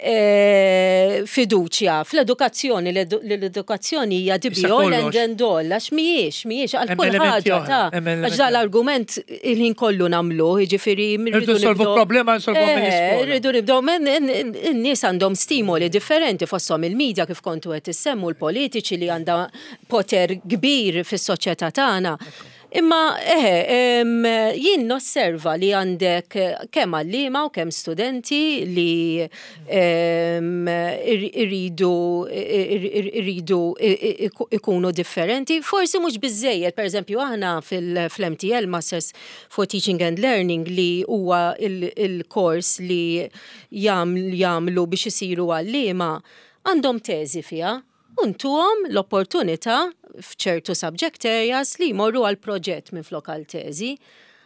S2: eh, fiduċja fl-edukazzjoni, l-edukazzjoni hija the be all and end all, għax mhijiex, mhijiex għal kull ħaġa ta' għax dal-argument il-ħin kollu nagħmlu, jiġifieri
S1: rridu nsolvu problema nsolvu eh,
S2: Rridu nibdew in-nies għandhom stimoli differenti fosthom il-media kif kontu qed issemmu l-politiċi li għandha poter kbir fis-soċjetà tagħna. Imma eħe, jien nosserva li għandek kemm għalliema u kemm studenti li irridu irridu ikunu differenti. Forsi mhux biżżejjed, pereżempju aħna fil-MTL Masters for Teaching and Learning li huwa il-kors li jagħmlu biex isiru għalliema, għandhom teżi fiha u ntuhom l-opportunità f'ċertu subject areas li jmorru għal proġett minflok għal teżi.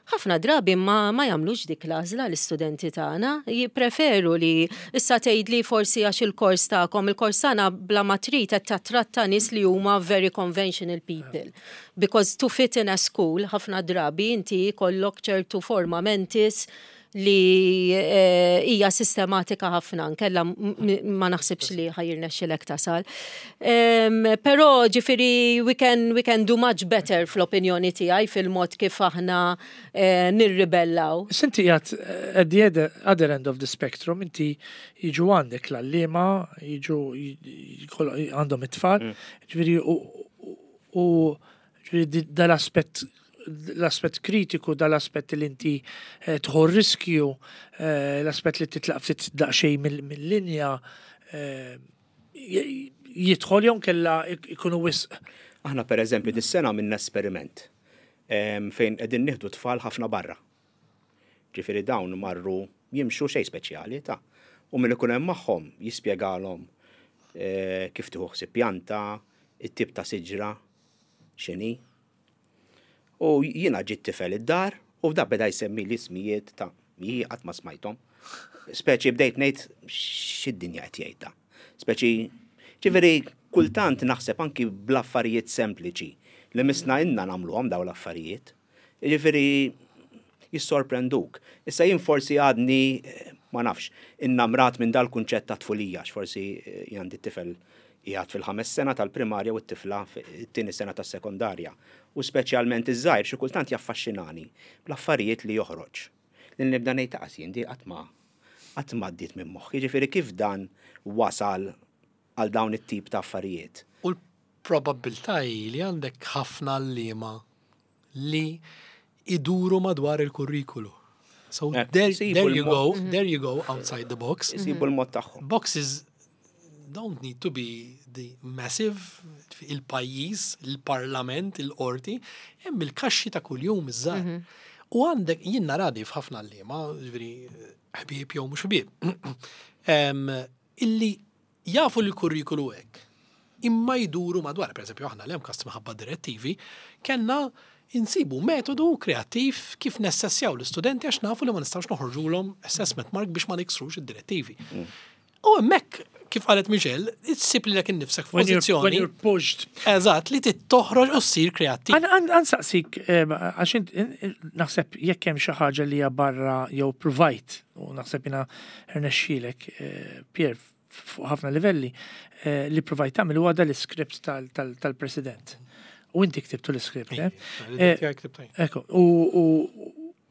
S2: Ħafna drabi ma, ma jagħmlux dik l-għażla l-istudenti tagħna, jippreferu li issa tgħidli forsi għax il-kors tagħkom, il-kors tagħna bla ma trid qed tattratta nies li huma very conventional people. Because to fit in a school, ħafna drabi inti jkollok ċertu forma mentis li eh, hija sistematika ħafna, nkella ma naħsibx li ħajirnexxilek tasal. Però ġifieri we can, we can do much better fl-opinjoni tiegħi fil-mod kif aħna eh, nirribellaw.
S1: Sinti qiegħed eh, at the other end of the spectrum, inti jiġu għandek l-għalliema, jiġu għandhom it-tfal, mm. ġifieri U ġifieri dal-aspett l-aspett kritiku, dal-aspett li inti eh, tħu riskju, eh, l-aspett li titlaq ftit daqsxejn mill-linja, eh, jidħol jew kella ikunu wisq.
S4: Aħna per eżempju dis-sena għamilna esperiment fejn qegħdin nieħdu tfal ħafna barra. Ġifieri dawn marru jimxu xejn speċjali ta' u min ikun hemm magħhom jispjegalhom eh, kif tieħu ħsieb pjanta, it-tip ta' siġra, x'inhi. U jiena ġiet tifel id-dar u da beda jsemmi l-ismijiet ta' jien qatt ma smajthom. Speċi bdejt ngħid x'id-dinja qed jgħid da. Speċi ġifieri kultant naħseb anki bl-affarijiet sempliċi li misna inna nagħmluhom daw l-affarijiet. Jiġifieri jissorprenduk. Issa jien forsi għadni ma nafx, innamrat minn dal-kunċett ta' tfulija, għax forsi jien għandi tifel qiegħed fil-ħames sena tal-primarja u t-tifla fit-tieni sena tas-sekondarja. U speċjalment iż-żgħir xi kultant jaffaxxinani bl-affarijiet li joħroġ. Li nibda ngħid aqas jien di qatt ma qatt ma għaddiet minn moħħi. Jiġifieri kif dan wasal għal dawn it-tip ta' affarijiet.
S3: U l-probabbiltà hi li għandek ħafna għalliema li iduru madwar il-kurrikulu. So eh, there, there you go, mhm. there you go outside the box.
S4: Isibu l-mod tagħhom.
S3: Boxes don't need to be the massive il-pajjiż, il-parlament, il-qorti, hemm il-kaxxi ta' kuljum iż-żgħar. Mhm. U għandek jien naradi f'ħafna għalliema, ġifieri ħbieb jew mhux ħbieb, illi Jafu li l-kurrikulu hekk, imma jduru madwar. Per eżempju, aħna l-MCAST minħabba d-direttivi, kellna insibu metodu kreattiv kif nessessjaw l-istudenti għax nafu li ma nistgħux noħorġulhom assessment mark biex ma niksrux id-direttivi. U hemmhekk, kif qalet Michelle, issib lilek innifsek f'pożizzjoni.
S1: When you're pushed.
S3: Eżatt, li trid toħroġ u ssir kreattiv.
S1: Għansaqsik, għax naħseb jekk hemm xi ħaġa li hija barra jew provajt, u naħseb jiena rnexxielek, Pierre, fuq ħafna livelli, eh, li provajt tagħmel huwa dal-iskript tal-President. U inti ktibtu l-iskript, eh? eh ekku,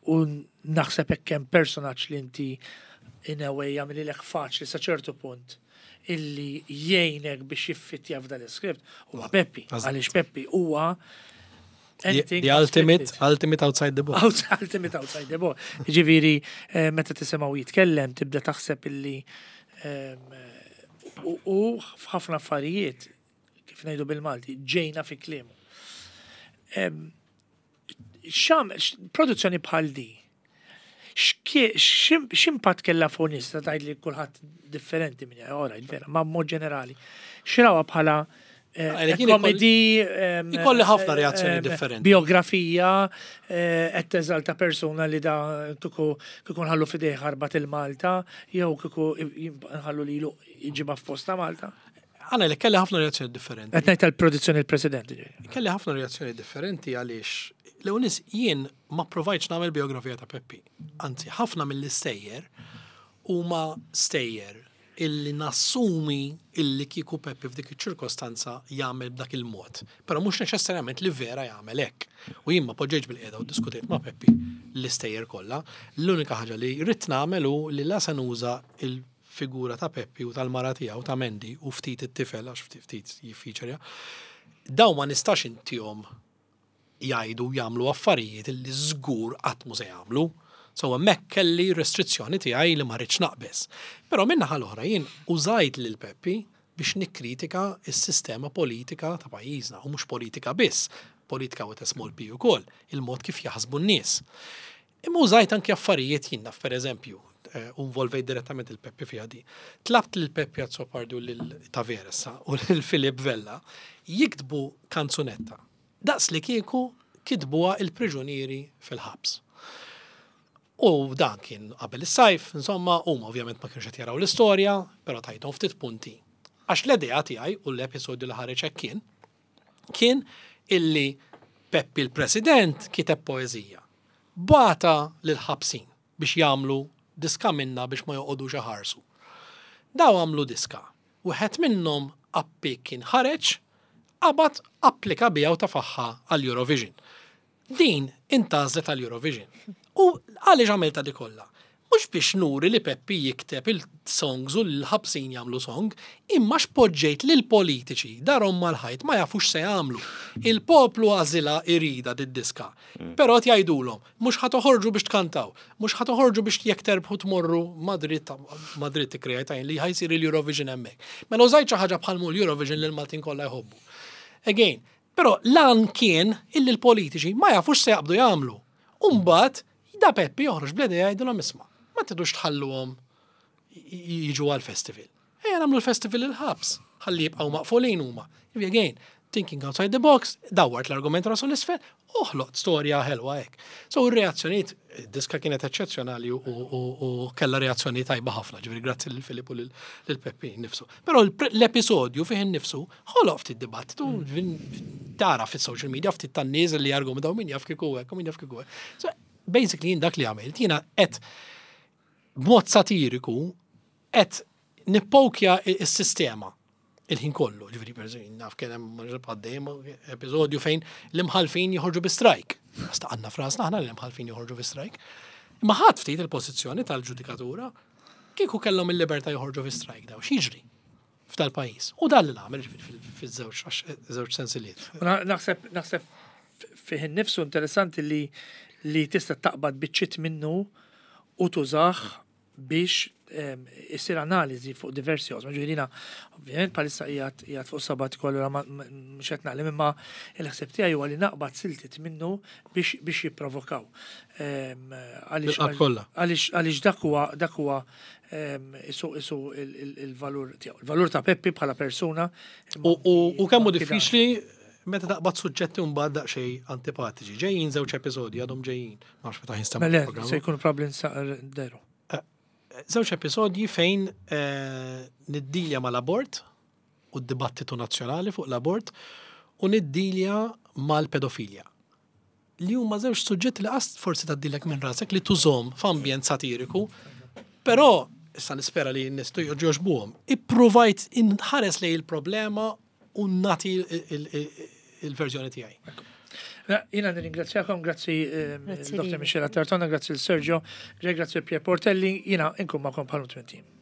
S1: u naħseb hekk hemm personaġġ li inti in a way jagħmililek faċli sa ċertu punt illi jgħinek biex jiffittja f'dan l-iskript huwa Peppi, għaliex Peppi huwa
S3: The ultimate, ultimate outside the box.
S1: Ultimate outside the box. Ġifieri, eh, meta tisimgħu jitkellem, tibda taħseb illi ehm, u f'ħafna affarijiet, kif ngħidu bil-Malti, ġejna fi kliemu. Ehm, xam, produzzjoni bħal di, x'impatt kellha fuq nies ta' tgħid li kulħadd differenti minn ora, vera, ma mod ġenerali. X'rawha bħala eh, komedi
S3: ikolli ħafna reazzjoni differenti.
S1: Biografija eh, qed teżalta persuna li da kieku kieku nħallu f'idejh ħarbat il-Malta jew kieku nħallu lilu jġibha f'posta Malta.
S3: Għana li kelli ħafna reazzjoni differenti.
S1: Qed ngħid tal-produzzjoni l-President.
S3: Kelli ħafna reazzjoni differenti għaliex l-ewwel jien ma provajtx nagħmel biografija ta' Peppi. Anzi, ħafna mill-istejjer huma stejjer illi nassumi illi kieku Peppi f'dik iċ-ċirkostanza jagħmel b'dak il-mod. Però mhux neċessarjament li vera jagħmel hekk. U jien ma poġġejtx bil-qiegħda u ddiskutejt ma' Peppi l-istejjer kollha. L-unika ħaġa li ridt nagħmel hu li la se nuża il figura ta' Peppi u tal-mara tiegħu ta' Mandy u ftit it-tifel għax ftit ftit jiffeaturja, dawn ma nistax intihom jgħidu u jagħmlu affarijiet li żgur qatt mhu se jagħmlu. So hemmhekk kelli restrizzjoni tiegħi li ma rridx naqbeż. Però min-naħa l-oħra jien użajt lil Peppi biex nikkritika s-sistema politika ta' pajjiżna u mhux politika biss, politika with a small p ukoll, il-mod kif jaħsbu n-nies. Imma użajt anki affarijiet jien naf pereżempju, eh, u involvejt direttament il Peppi fiha di. Tlabt lil Peppi Azzopardi u lil Taveres u lil Filip Vella jiktbu kanzunetta. Daqs li kieku kitbuha il-priġunieri fil-ħabs. U dan kien qabel is-sajf, insomma, huma ovvjament ma kienux qed jaraw l-istorja, però tajthom ftit punti. Għax l-idea tiegħi u l-episodju li ħareġ hekk kien, kien illi Peppi l-President kiteb poeżija. Bagħatha lill-ħabsin biex jagħmlu diska minnha biex ma joqogħdux iħarsu. Daw għamlu diska. Wieħed minnhom appik kien ħareġ, qabad applika biha u tefagħha għall-Eurovision. Din intgħażlet għall-Eurovision. U għaliex għamiltha di kollha? Mhux biex nuri li Peppi jikteb il-songs u l-ħabsin jagħmlu song, imma x'poġġejt lill-politiċi darhom mal-ħajt ma jafux x'se jagħmlu. Il-poplu għażilha jridha did-diska. Però qed jgħidulhom, mhux ħa toħorġu biex tkantaw, mhux ħa toħorġu biex jekk terbħu tmorru Madrid, Madrid ikkreajt jien li ħa jsir il-Eurovision hemmhekk. Mela użajt xi ħaġa bħal mhu l-Eurovision li l-Maltin kollha jħobbu. Again, però l-għan kien illi l-politiċi ma jafux x'se jaqbdu jagħmlu. U mbagħad da Peppi joħroġ bl-idea jgħidilhom isma' ma tridux tħalluhom jiġu għall-festival. Ejja nagħmlu l-festival il-ħabs, ħalli jibqgħu maqfulin huma. Again, thinking outside the box, dawwart l-argument rasu l-isfel, u ħloqt storja ħelwa hekk. So r-reazzjonijiet, diska kienet eċċezzjonali u kellha reazzjoni tajba ħafna, ġifieri grazzi lil Filip u lil Peppi nifsu. Però l-episodju fih innifsu ħoloq ftit dibattitu, tara fis-social media ftit tan-nies li jargumentaw min jaf kieku hekk u min jaf kieku hekk. So basically jien dak li għamilt, jiena qed b'mod satiriku qed nippokja s-sistema il-ħin kollu. Ġifieri per eżempju, naf kien hemm għaddejjem episodju fejn l-imħalfin joħorġu bi strajk. Staqanna frasna aħna li l-imħalfin joħorġu bi strajk. Imma ħadd ftit il-pożizzjoni tal-ġudikatura kieku kellhom il-libertà joħorġu fi strajk daw, x'jiġri f'dal-pajjiż. U dan li nagħmel fiż-żewġ żewġ sensiliet.
S1: Naħseb naħseb fih innifsu interessanti li li tista' taqbad biċċiet minnu u tużah biex issir analiżi fuq diversi oqsma. Ġifieri jiena ovvjament bħalissa qiegħed qiegħed fuq sabbatical allura mhux qed naqleb imma l-ħsieb tiegħi huwa li naqbad siltiet minnu biex biex jipprovokaw. Għaliex għaliex għaliex dak huwa dak huwa isu isu il-valur tiegħu. Il-valur ta' Peppi bħala persuna.
S3: U kemm hu diffiċli meta taqbad suġġetti mbagħad daqsxejn antipatiċi. Ġejjin żewġ episodji għadhom ġejjin. Ma nafx meta jinstema'
S1: Mela, il-programm. se jkun probabbli deru.
S3: Żewġ episodji fejn niddilja mal-abort u d-dibattitu nazzjonali fuq l-abort u niddilja mal-pedofilja. Li huma żewġ suġġetti li qas forsi tgħaddilek minn rasek li tużhom f'ambjent satiriku, però issa nispera li n-nies jogħġbuhom. Ippruvajt inħares lejn il-problema u nagħti il-verżjoni tiegħi.
S1: Jiena nirringrazzjakom, grazzi Dr. Michela Tartona, grazzi l-Sergio, grazzi Pier Portelli, jiena inkun magħkom bħal 20.